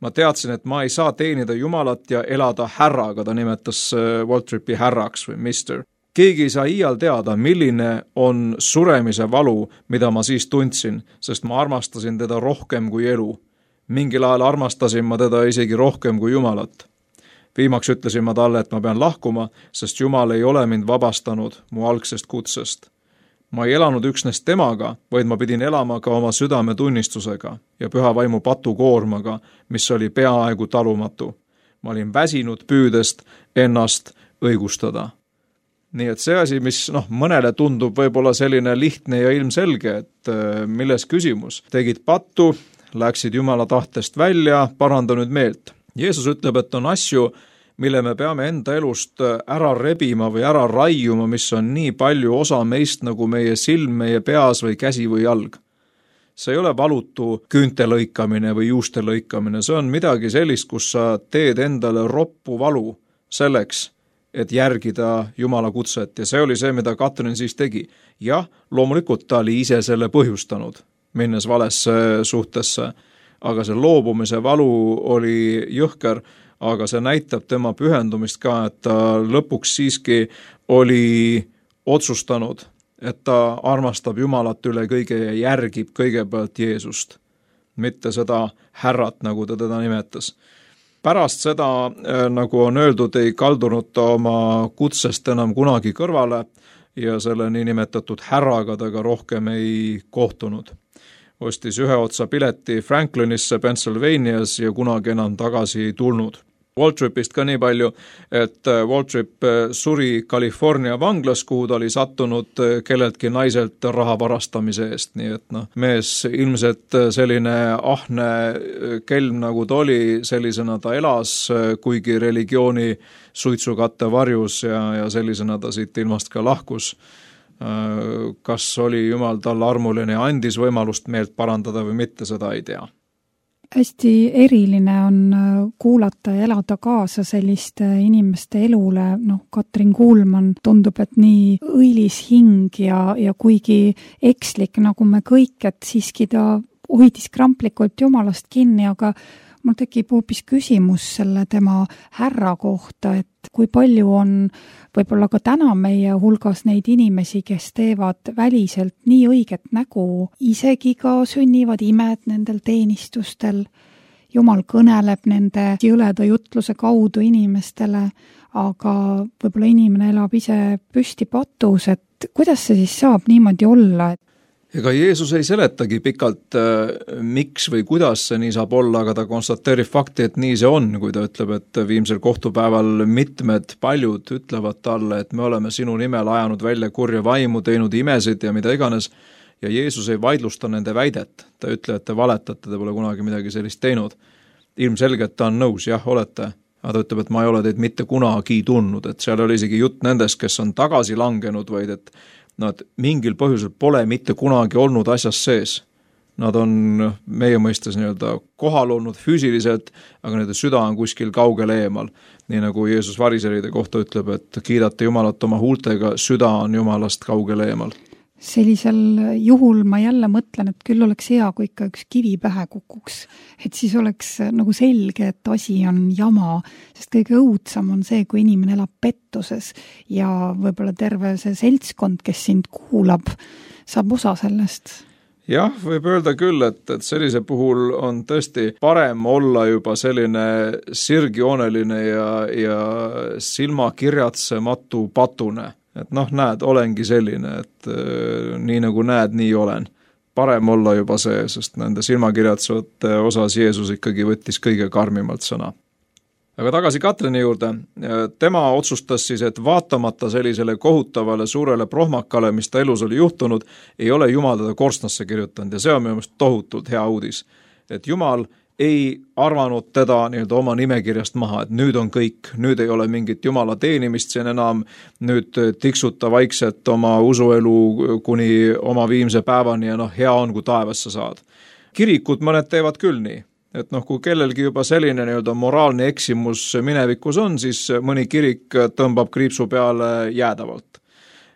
Ma teadsin, et ma ei saa teenida Jumalat ja elada härraga, ta nimetas Waltripi härraks või mister. Keegi ei saa iial teada, milline on suremise valu, mida ma siis tundsin, sest ma armastasin teda rohkem kui elu. Mingil ajal armastasin ma teda isegi rohkem kui Jumalat. Viimaks ütlesin ma talle, et ma pean lahkuma, sest Jumal ei ole mind vabastanud mu algsest kutsest. Ma ei elanud üksnes temaga, vaid ma pidin elama ka oma südametunnistusega ja püha vaimu patukoormaga, mis oli peaaegu talumatu. Ma olin väsinud püüdest ennast õigustada. Nii et see asi, mis mõnele tundub võib-olla selline lihtne ja ilmselge, et milles küsimus. Tegid pattu, läksid Jumala tahtest välja, paranda nüüd meelt. Jeesus ütleb, et on asju, mille me peame enda elust ära rebima või ära raiuma, mis on nii palju osa meist nagu meie silm, meie peas või käsi või jalg. See ei ole valutu küünte lõikamine või juuste lõikamine, see on midagi sellist, kus sa teed endale roppu valu selleks, et järgida Jumala kutset ja see oli see, mida Katrin siis tegi. Jah, loomulikult ta oli ise selle põhjustanud, minnes valesse suhtesse, aga see loobumise valu oli jõhker, aga see näitab tema pühendumist ka, et ta lõpuks siiski oli otsustanud, et ta armastab Jumalat üle kõige ja järgib kõigepealt Jeesust, mitte seda härrat, nagu ta teda nimetas. Pärast seda, nagu on öeldud, ei kaldunud ta oma kutsest enam kunagi kõrvale ja selle niinimetatud härraga ta ka rohkem ei kohtunud. ostis ühe otsa pileti Franklinisse Pennsylvanias ja kunagi enam tagasi ei tulnud. Waltripist ka nii palju, et Waltrip suri California vanglas, kuhu ta oli sattunud kelleltki naiselt raha varastamise eest, nii et mees ilmselt selline ahne kelm nagu ta oli, sellisena ta elas, kuigi religiooni suitsukatte varjus ja sellisena ta siit ilmast ka lahkus. Kas oli Jumal talle armuline ja andis võimalust meelt parandada või mitte, seda ei tea. Hästi eriline on kuulata ja elada kaasa selliste inimeste elule. Katrin Kuulman tundub, et nii õilis hing ja kuigi ekslik nagu me kõik, et siiski ta hoidis kramplikult Jumalast kinni, aga mul tekib hoopis küsimus selle tema härra kohta, et kui palju on võib-olla ka täna meie hulgas neid inimesi, kes teevad väliselt nii õiget nägu, isegi ka sünnivad imed nendel teenistustel. Jumal kõneleb nende jõleda jutluse kaudu inimestele, aga võib-olla inimene elab ise püsti patus, et kuidas see siis saab niimoodi olla? Ega Jeesus ei seletagi pikalt, miks või kuidas see nii saab olla, aga ta konstateerib fakti, et nii see on, kui ta ütleb, et viimsel kohtupäeval paljud ütlevad talle, et me oleme sinu nimel ajanud välja kurja vaimu, teinud imesid ja mida iganes, ja Jeesus ei vaidlusta nende väidet. Ta ütleb, et te valetate, te pole kunagi midagi sellist teinud. Ilmselgelt ta on nõus, jah, olete, aga ta ütleb, et ma ei ole teid mitte kunagi tundnud, et seal oli isegi jutt nendest, kes on tagasi langenud, vaid et nad mingil põhjusel pole mitte kunagi olnud asjas sees. Nad on meie mõistes kohal olnud füüsiliselt, aga nende süda on kuskil kaugel eemal. Nii nagu Jeesus variseride kohta ütleb, et kiidate Jumalat oma huultega, süda on Jumalast kaugel eemal. Sellisel juhul ma jälle mõtlen, et küll oleks hea, kui ikka üks kivi pähe kukuks. Et siis oleks nagu selge, et asi on jama, sest kõige õudsam on see, kui inimene elab pettuses ja võib-olla terve see seltskond, kes sind kuulab, saab osa sellest. Jah, võib öelda küll, et sellise puhul on tõesti parem olla juba selline sirgjooneline ja silmakirjatsematu patune. Et näed, olengi selline, et nii nagu näed, nii olen. Parem olla juba see, sest nende silmakirjatsevate osas Jeesus ikkagi võttis kõige karmimalt sõna. Aga tagasi Katrini juurde, tema otsustas siis, et vaatamata sellisele kohutavale suurele prohmakale, mis ta elus oli juhtunud, ei ole Jumal teda korstnasse kirjutanud ja see on minu meelest tohutult hea uudis. Et Jumal ei arvanud teda oma nimekirjast maha, et nüüd on kõik, nüüd ei ole mingit Jumala teenimist siin enam, nüüd tiksuta vaikselt oma usuelu kuni oma viimse päevani ja hea on, kui taevasse saad. Kirikud mõned teevad küll nii, et kui kellelgi juba selline moraalne eksimus minevikus on, siis mõni kirik tõmbab kriipsu peale jäädavalt.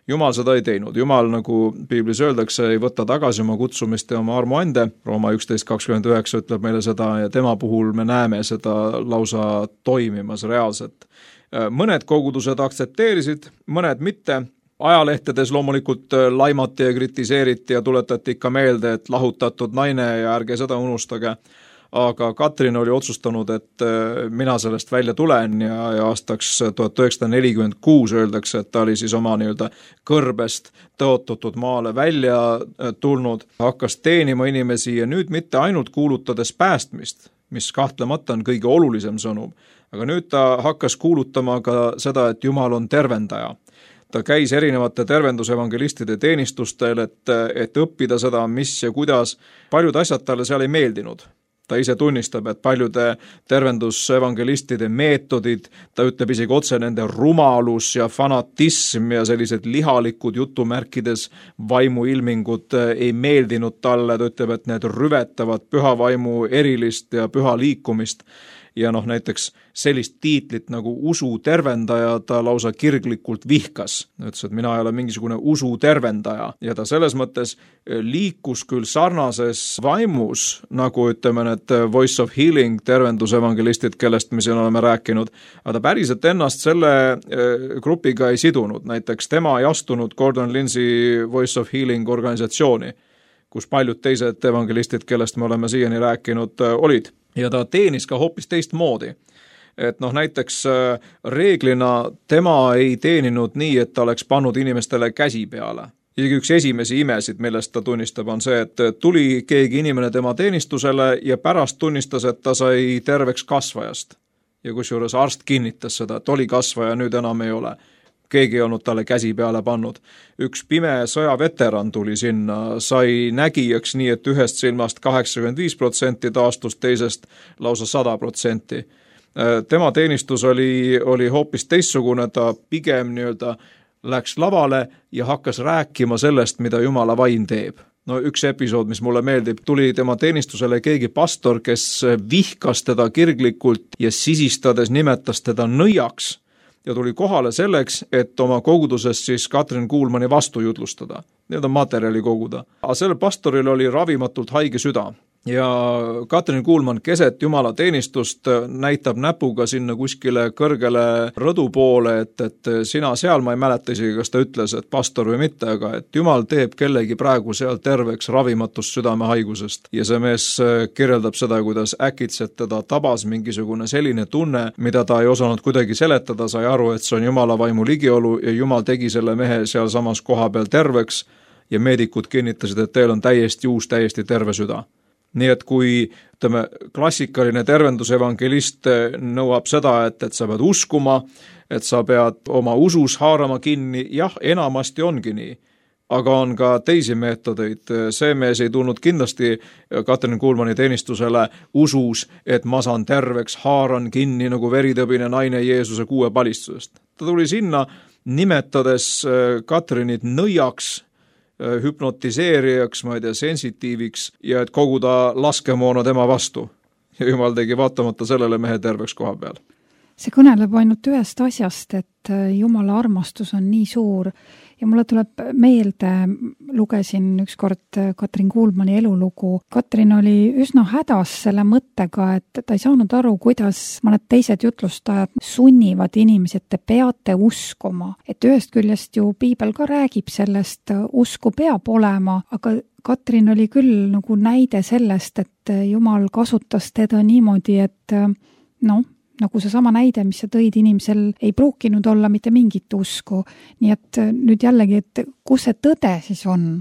Jumal seda ei teinud. Jumal, nagu Piiblis öeldakse, ei võta tagasi oma kutsumist ja oma armuande. Rooma 11.29 ütleb meile seda ja tema puhul me näeme seda lausa toimimas reaalselt. Mõned kogudused aktsepteerisid, mõned mitte. Ajalehtedes loomulikult laimati ja kritiseeriti ja tuletati ikka meelde, et lahutatud naine ja ärge seda unustage. Aga Katrin oli otsustanud, et mina sellest välja tulen ja aastaks 1946 öeldakse, et ta oli siis oma kõrbest tõotatud maale välja tulnud, hakkas teenima inimesi ja nüüd mitte ainult kuulutades päästmist, mis kahtlemata on kõige olulisem sõnum, aga nüüd ta hakkas kuulutama ka seda, et Jumal on tervendaja. Ta käis erinevate tervendusevangelistide teenistustel, et õppida seda, mis ja kuidas. Paljud asjad talle seal ei meeldinud. Ta ise tunnistab, et paljude tervendusevangelistide meetodid, ta ütleb isegi otse nende rumalus ja fanatism ja sellised lihalikud jutumärkides vaimuilmingud ei meeldinud talle, ta ütleb, et need rüvetavad püha vaimu erilist ja püha liikumist. Ja näiteks sellist tiitlit nagu usu tervendaja ta lausa kirglikult vihkas. Ütles, et mina ei ole mingisugune usu tervendaja ja ta selles mõttes liikus küll sarnases vaimus, nagu ütleme need Voice of Healing tervendusevangelistid, kellest me siin oleme rääkinud, aga ta päriselt ennast selle grupiga ei sidunud. Näiteks tema ei astunud Gordon Lindsay Voice of Healing organisatsiooni, kus paljud teised evangelistid, kellest me oleme siiani rääkinud, olid. Ja ta teenis ka hoopis teistmoodi. Et näiteks reeglina tema ei teeninud nii, et ta oleks pannud inimestele käsi peale. Isegi üks esimesi imesid, millest ta tunnistab, on see, et tuli keegi inimene tema teenistusele ja pärast tunnistas, et ta sai terveks kasvajast. Ja kusjuures arst kinnitas seda, et oli kasvaja, nüüd enam ei ole. Keegi ei olnud talle käsi peale pannud. Üks pime sõjaveteran tuli sinna, sai nägijaks nii, et ühest silmast 85% taastus, teisest lausa 100%. Tema teenistus oli hoopis teistsugune, ta pigem läks lavale ja hakkas rääkima sellest, mida Jumala vaim teeb. No üks episood, mis mulle meeldib, tuli tema teenistusele keegi pastor, kes vihkas teda kirglikult ja sisistades nimetas teda nõiaks ja tuli kohale selleks, et oma koguduses siis Katrin Kuulmani vastu jutlustada, nii-öelda materjali koguda. Aga sellel pastoril oli ravimatult haige süda. Ja Katrin Kuulman keset Jumala teenistust näitab näpuga sinna kuskile kõrgele rõdu poole, et sina seal, ma ei mäleta isegi, kas ta ütles, et pastor või mitte, aga et Jumal teeb kellegi praegu seal terveks ravimatust südamehaigusest. Ja see mees kirjeldab seda, kuidas äkitselt teda tabas mingisugune selline tunne, mida ta ei osanud kuidagi seletada, sai aru, et see on Jumala vaimu ligiolu ja Jumal tegi selle mehe seal samas koha peal terveks ja meedikud kinnitasid, et teil on täiesti uus, täiesti terve süda. Nii et kui klassikaline tervendusevangelist nõuab seda, et sa pead uskuma, et sa pead oma usus haarama kinni, jah, enamasti ongi nii. Aga on ka teisi meetodeid. See mees ei tulnud kindlasti Katrin Kuulmani teenistusele usus, et ma saan terveks, haaran kinni nagu veritõbine naine Jeesuse 6 palistusest. Ta tuli sinna nimetades Katrinit nõiaks, hüpnotiseerijaks, ma ei tea, sensitiiviks ja et koguda laskemoona tema vastu. Ja Jumal tegi vaatamata sellele mehe terveks koha peal. See kõneleb ainult ühest asjast, et Jumala armastus on nii suur ja mulle tuleb meelde, lugesin ükskord Katrin Kuulmani elulugu. Katrin oli üsna hädas selle mõttega, et ta ei saanud aru, kuidas mõned teised jutlustajad sunnivad inimesi, et te peate uskuma. Et ühest küljest ju Piibel ka räägib sellest, usku peab olema, aga Katrin oli küll nagu näide sellest, et Jumal kasutas teda niimoodi, et nagu see sama näide, mis sa tõid, inimesel ei pruukinud olla mitte mingit usku. Nii et nüüd jällegi, et kus see tõde siis on?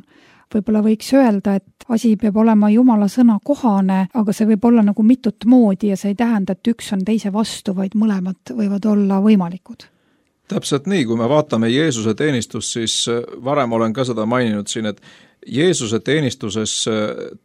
Võib-olla võiks öelda, et asi peab olema Jumala sõna kohane, aga see võib olla nagu mitut moodi ja see ei tähenda, et üks on teise vastu, vaid mõlemad võivad olla võimalikud. Täpselt nii, kui me vaatame Jeesuse teenistust, siis varem olen ka seda maininud siin, et Jeesuse teenistuses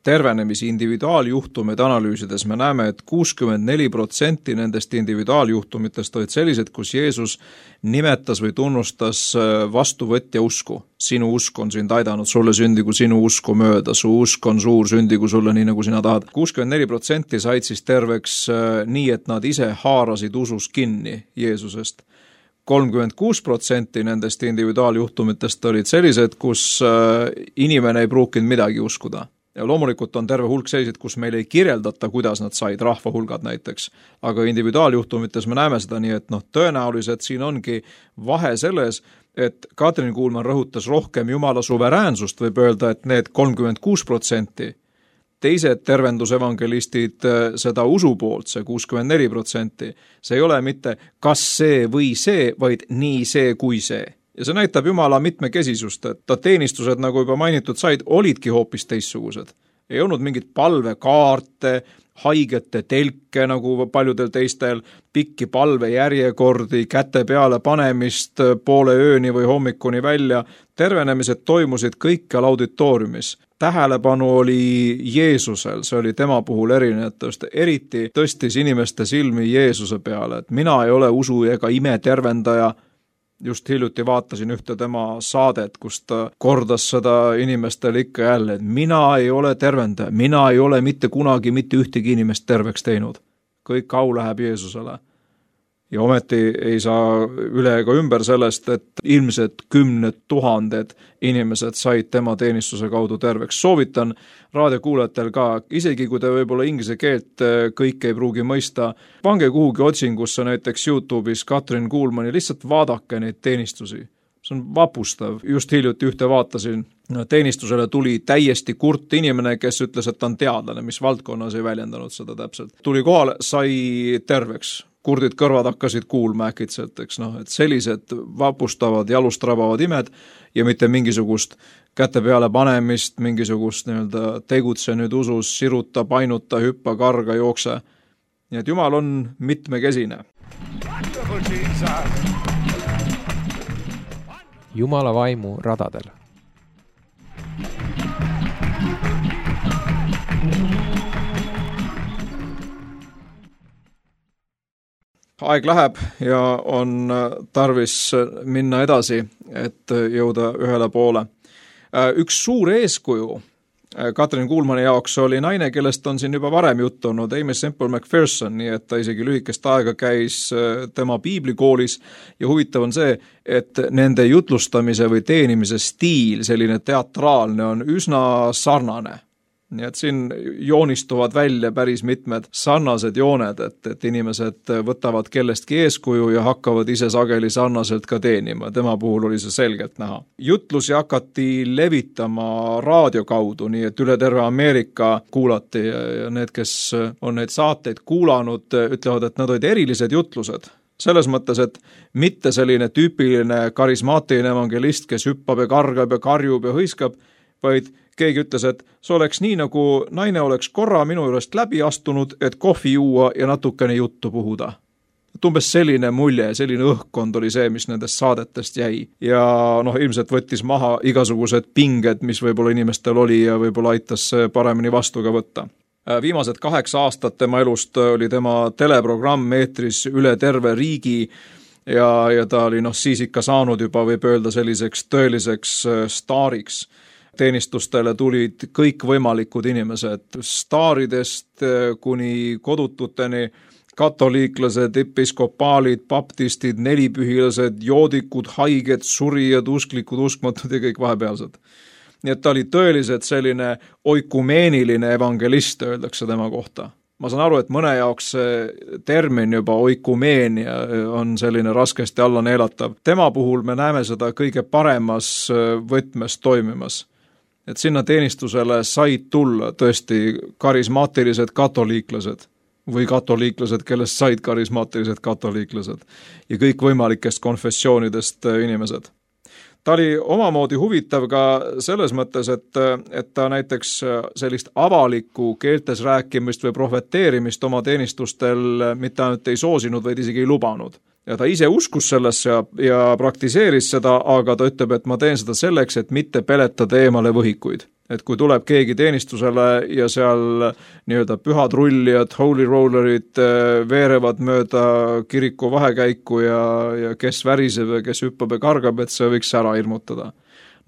tervenemisi individuaaljuhtumeid analüüsides me näeme, et 64% nendest individuaaljuhtumitest olid sellised, kus Jeesus nimetas või tunnustas vastuvõtja usku. Sinu usk on sind aidanud, sulle sündigu sinu usku mööda, su usk on suur, sündigu sulle nii, nagu sina tahad. 64% said siis terveks nii, et nad ise haarasid usus kinni Jeesusest. 36% nendest individuaaljuhtumitest olid sellised, kus inimene ei pruukinud midagi uskuda. Ja loomulikult on terve hulk sellised, kus meil ei kirjeldata, kuidas nad said, rahvahulgad näiteks. Aga individuaaljuhtumites me näeme seda nii, et tõenäoliselt siin ongi vahe selles, et Katrin Kuulman rõhutas rohkem Jumala suveräänsust, võib öelda, et need 36%, teised tervendusevangelistid seda usu poolt, see 64%, see ei ole mitte kas see või see, vaid nii see kui see. Ja see näitab Jumala mitmekesisust, et ta teenistused, nagu juba mainitud said, olidki hoopis teistsugused. Ei olnud mingit palvekaarte, haigete telke, nagu paljudel teistel, pikki palvejärjekordi, käte peale panemist poole ööni või hommikuni välja. Tervenemised toimusid kõikjal auditooriumis. Tähelepanu oli Jeesusel, see oli tema puhul erinev, eriti tõstis inimeste silmi Jeesuse peale, et mina ei ole usu ega ime tervendaja. Just hiljuti vaatasin ühte tema saadet, kus ta kordas seda inimestele ikka jälle, et mina ei ole tervendaja, mina ei ole mitte kunagi mitte ühtegi inimest terveks teinud. Kõik au läheb Jeesusele. Ja ometi ei saa üle ega ümber sellest, et ilmselt 10 000 inimesed said tema teenistuse kaudu terveks. Soovitan raadiokuulajatel ka, isegi kui te võib-olla inglise keelt kõik ei pruugi mõista, pange kuhugi otsingusse näiteks YouTube'is Katrin Kuulmani, lihtsalt vaadake neid teenistusi. See on vapustav. Just hiljuti ühte vaatasin, teenistusele tuli täiesti kurt inimene, kes ütles, et ta on teadlane, mis valdkonnas ei väljendanud seda täpselt. Tuli kohale, sai terveks. Kurdid kõrvad hakkasid kuulma äkitselt, et sellised vapustavad, jalust rabavad imed ja mitte mingisugust käte peale panemist, mingisugust tegutse nüüd usus, siruta, painuta, hüppa, karga, jookse. Nii et Jumal on mitmekesine. Wonderful Jesus. Jumala vaimu radadel. Aeg läheb ja on tarvis minna edasi, et jõuda ühele poole. Üks suur eeskuju Katrin Kuulmani jaoks oli naine, kellest on siin juba varem juttu olnud, Amy Semple McPherson, nii et ta isegi lühikest aega käis tema piiblikoolis ja huvitav on see, et nende jutlustamise või teenimise stiil, selline teatraalne, on üsna sarnane. Nii et siin joonistuvad välja päris mitmed sarnased jooned, et inimesed võtavad kellestki eeskuju ja hakkavad ise sageli sarnaselt ka teenima. Tema puhul oli see selgelt näha. Jutlusi hakati levitama raadio kaudu, nii et üle terve Ameerika kuulati ja need, kes on neid saateid kuulanud, ütlevad, et nad olid erilised jutlused. Selles mõttes, et mitte selline tüüpiline karismaatiline evangelist, kes hüppab ja kargab ja karjub ja hõiskab, vaid keegi ütles, et see oleks nii, nagu naine oleks korra minu juurest läbi astunud, et kohvi juua ja natukene juttu puhuda. Umbes selline mulje, selline õhkkond oli see, mis nendest saadetest jäi. Ja ilmselt võttis maha igasugused pinged, mis võib-olla inimestel oli ja võib-olla aitas paremini vastu ka võtta. Viimased 8 aastat tema elust oli tema teleprogramm eetris üle terve riigi ja ta oli siis ikka saanud juba, võib öelda, selliseks tõeliseks staariks. Teenistustele tulid kõik võimalikud inimesed, staaridest kuni kodututeni, katoliiklased, episkopaalid, baptistid, nelipühilased, joodikud, haiged, surijad, usklikud, uskmatud ja kõik vahepealsed. Nii et ta oli tõeliselt selline oikumeeniline evangelist, öeldakse tema kohta. Ma saan aru, et mõne jaoks termin juba oikumeenia on selline raskesti alla neelatav. Tema puhul me näeme seda kõige paremas võtmes toimimas. Et sinna teenistusele said tulla tõesti karismaatilised katoliiklased või katoliiklased, kellest said karismaatilised katoliiklased ja kõik võimalikest konfessioonidest inimesed. Ta oli omamoodi huvitav ka selles mõttes, et ta näiteks sellist avalikku keeltes rääkimist või profeteerimist oma teenistustel mitte ainult ei soosinud, vaid isegi ei lubanud. Ja ta ise uskus sellesse ja praktiseeris seda, aga ta ütleb, et ma teen seda selleks, et mitte peletada eemale võhikuid. Et kui tuleb keegi teenistusele ja seal nii-öelda pühad rullijad, holy rollerid veerevad mööda kiriku vahekäiku ja kes väriseb ja kes hüppab ja kargab, et see võiks ära hirmutada.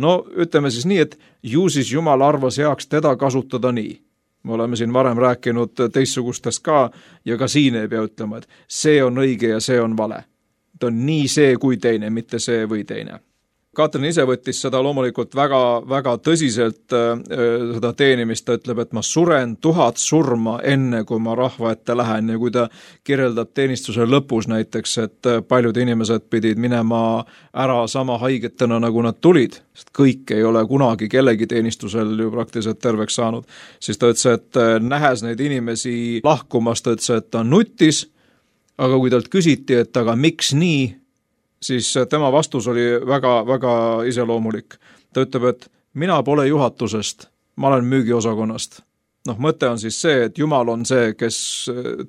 No ütleme siis nii, et ju siis Jumal arvas heaks teda kasutada nii. Me oleme siin varem rääkinud teissugustest ka ja ka siin ei pea ütlema, et see on õige ja see on vale. Ta on nii see kui teine, mitte see või teine. Katrin ise võttis seda loomulikult väga, väga tõsiselt seda teenimist, ta ütleb, et ma suren 1000 surma enne, kui ma rahva ette lähen ja kui ta kirjeldab teenistuse lõpus näiteks, et paljud inimesed pidid minema ära sama haigetena, nagu nad tulid, sest kõik ei ole kunagi kellegi teenistusel ju praktiliselt terveks saanud, siis ta ütles, et nähes neid inimesi lahkumas, ta ütles, et ta nutis, aga kui talt küsiti, et aga miks nii, siis tema vastus oli väga, väga iseloomulik. Ta ütleb, et mina pole juhatusest, ma olen müügiosakonnast. Mõte on siis see, et Jumal on see, kes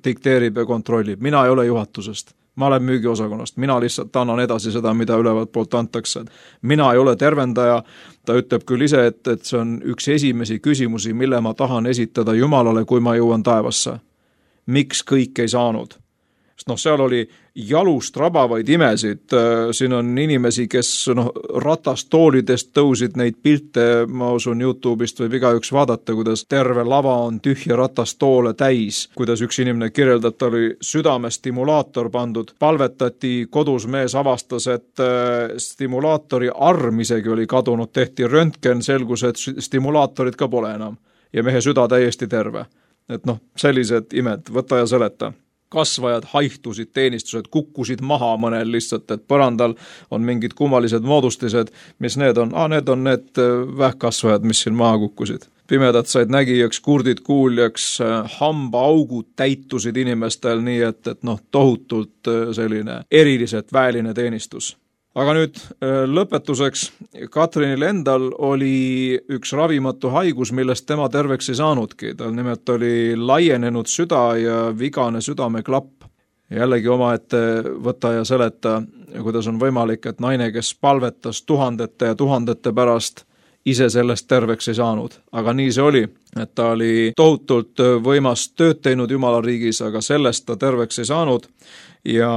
dikteerib ja kontrollib. Mina ei ole juhatusest, ma olen müügiosakonnast. Mina lihtsalt annan edasi seda, mida ülevalt poolt antakse. Mina ei ole tervendaja. Ta ütleb küll ise, et see on üks esimesi küsimusi, mille ma tahan esitada Jumalale, kui ma jõuan taevasse. Miks kõik ei saanud? Seal oli jalust rabavaid imesid, siin on inimesi, kes ratastoolidest tõusid neid pilte, ma usun YouTube'ist võib igaüks vaadata, kuidas terve lava on tühja ratastoole täis, kuidas üks inimene kirjeldab, ta oli südamestimulaator pandud, palvetati, kodus mees avastas, et stimulaatori arm isegi oli kadunud, tehti röntgen, selgus, et stimulaatorid ka pole enam ja mehe süda täiesti terve. Et sellised imed, võta ja seleta. Kasvajad haihtusid, teenistused kukkusid maha mõnel lihtsalt, et põrandal on mingid kummalised moodustised, mis need on? Need on need vähkkasvajad, mis siin maha kukkusid. Pimedad said nägijaks, kurdid kuuljaks, hambaaugud täitusid inimestel nii, et tohutult selline eriliselt väeline teenistus. Aga nüüd lõpetuseks, Katrinil endal oli üks ravimatu haigus, millest tema terveks ei saanudki. Tal nimelt oli laienenud süda ja vigane südameklapp. Jällegi omaette võta ja seleta, kuidas on võimalik, et naine, kes palvetas tuhandete ja tuhandete pärast, ise sellest terveks ei saanud. Aga nii see oli, et ta oli tohutult võimas tööd teinud Jumala riigis, aga sellest ta terveks ei saanud. Ja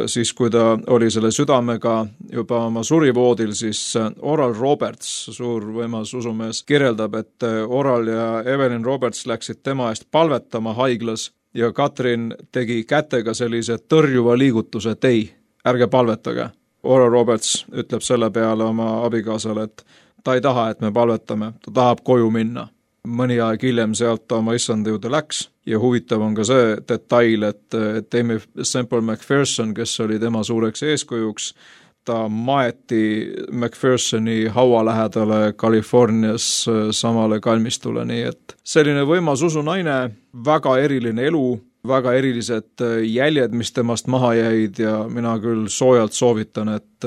siis, kui ta oli selle südamega juba oma surivoodil, siis Oral Roberts, suur võimas usumees, kirjeldab, et Oral ja Evelyn Roberts läksid tema eest palvetama haiglas ja Katrin tegi kätega sellise tõrjuva liigutuse, et ei, ärge palvetage. Oral Roberts ütleb selle peale oma abikaasale, et ta ei taha, et me palvetame, ta tahab koju minna. Mõni aeg hiljem sealt ta oma issanda juurde läks ja huvitav on ka see detail, et Amy Semple McPherson, kes oli tema suureks eeskujuks, ta maeti McPhersoni haua lähedale Californias samale kalmistule, nii et selline võimas usunaine, väga eriline elu, väga erilised jäljed, mis temast maha jäid ja mina küll soojalt soovitan, et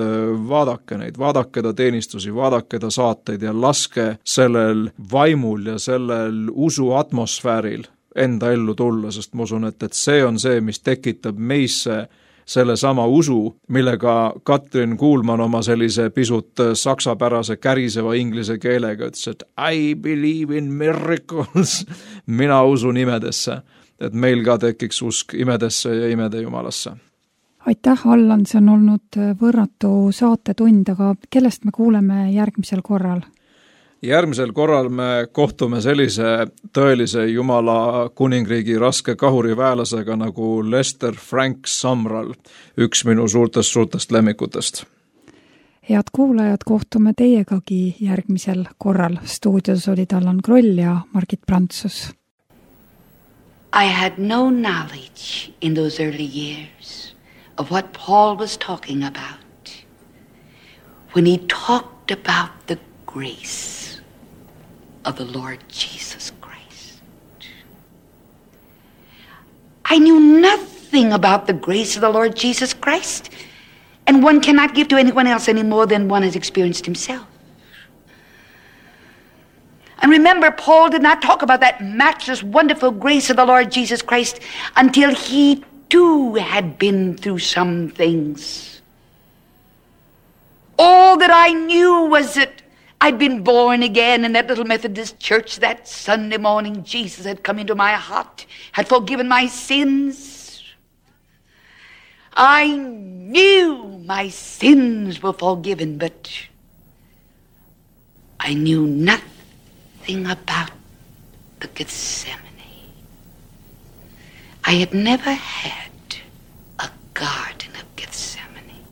vaadake neid, vaadake ta teenistusi, vaadake ta saateid ja laske sellel vaimul ja sellel usu atmosfääril enda ellu tulla, sest ma usun, et see on see, mis tekitab meisse selle sama usu, millega Katrin Kuulman oma sellise pisut saksapärase käriseva inglise keelega ütles, et I believe in miracles, mina usun imedesse. Et meil ka tekiks usk imedesse ja imede Jumalasse. Aitäh, Allan, see on olnud võrratu saatetund, aga kellest me kuuleme järgmisel korral? Järgmisel korral me kohtume sellise tõelise Jumala kuningriigi raske kahuriväelasega nagu Lester Frank Samral, üks minu suurtest lemmikutest. Head kuulajad, kohtume teiegagi järgmisel korral. Stuudios olid Allan Kroll ja Margit Prantsus. I had no knowledge in those early years of what Paul was talking about when he talked about the grace of the Lord Jesus Christ. I knew nothing about the grace of the Lord Jesus Christ, and one cannot give to anyone else any more than one has experienced himself. And remember, Paul did not talk about that matchless, wonderful grace of the Lord Jesus Christ until he too had been through some things. All that I knew was that I'd been born again in that little Methodist church that Sunday morning. Jesus had come into my heart, had forgiven my sins. I knew my sins were forgiven, but I knew nothing about the Gethsemane. I had never had a garden of Gethsemane.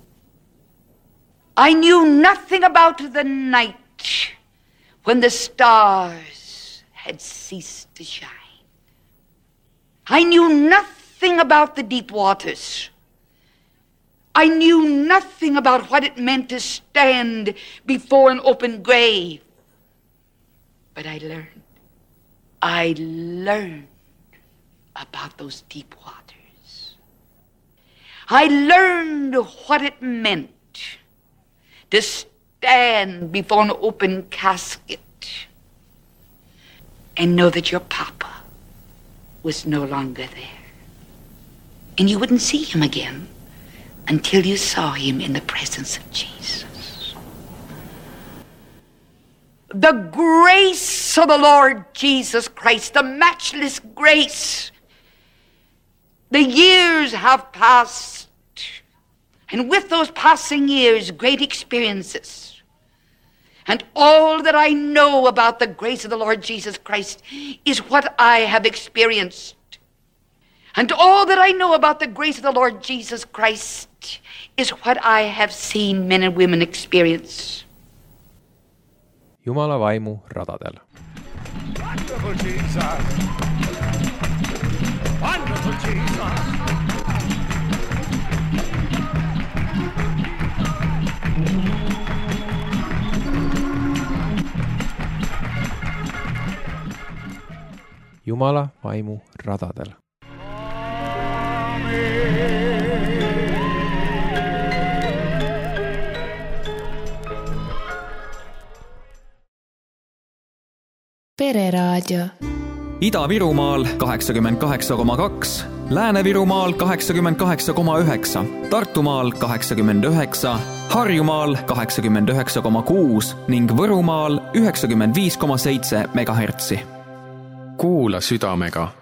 I knew nothing about the night when the stars had ceased to shine. I knew nothing about the deep waters. I knew nothing about what it meant to stand before an open grave. But I learned about those deep waters. I learned what it meant to stand before an open casket and know that your papa was no longer there. And you wouldn't see him again until you saw him in the presence of Jesus. The grace of the Lord Jesus Christ, the matchless grace. The years have passed, and with those passing years, great experiences. And all that I know about the grace of the Lord Jesus Christ is what I have experienced. And all that I know about the grace of the Lord Jesus Christ is what I have seen men and women experience. Jumala vaimu radadel. Wonderful Jesus. Wonderful Jesus. Jumala vaimu radadel. Pereraadio. Ida-Virumaal 88,2, Lääne-Virumaal 88,9, Tartumaal 89, Harjumaal 89,6 ning Võrumaal 95,7 megahertsi. Kuula südamega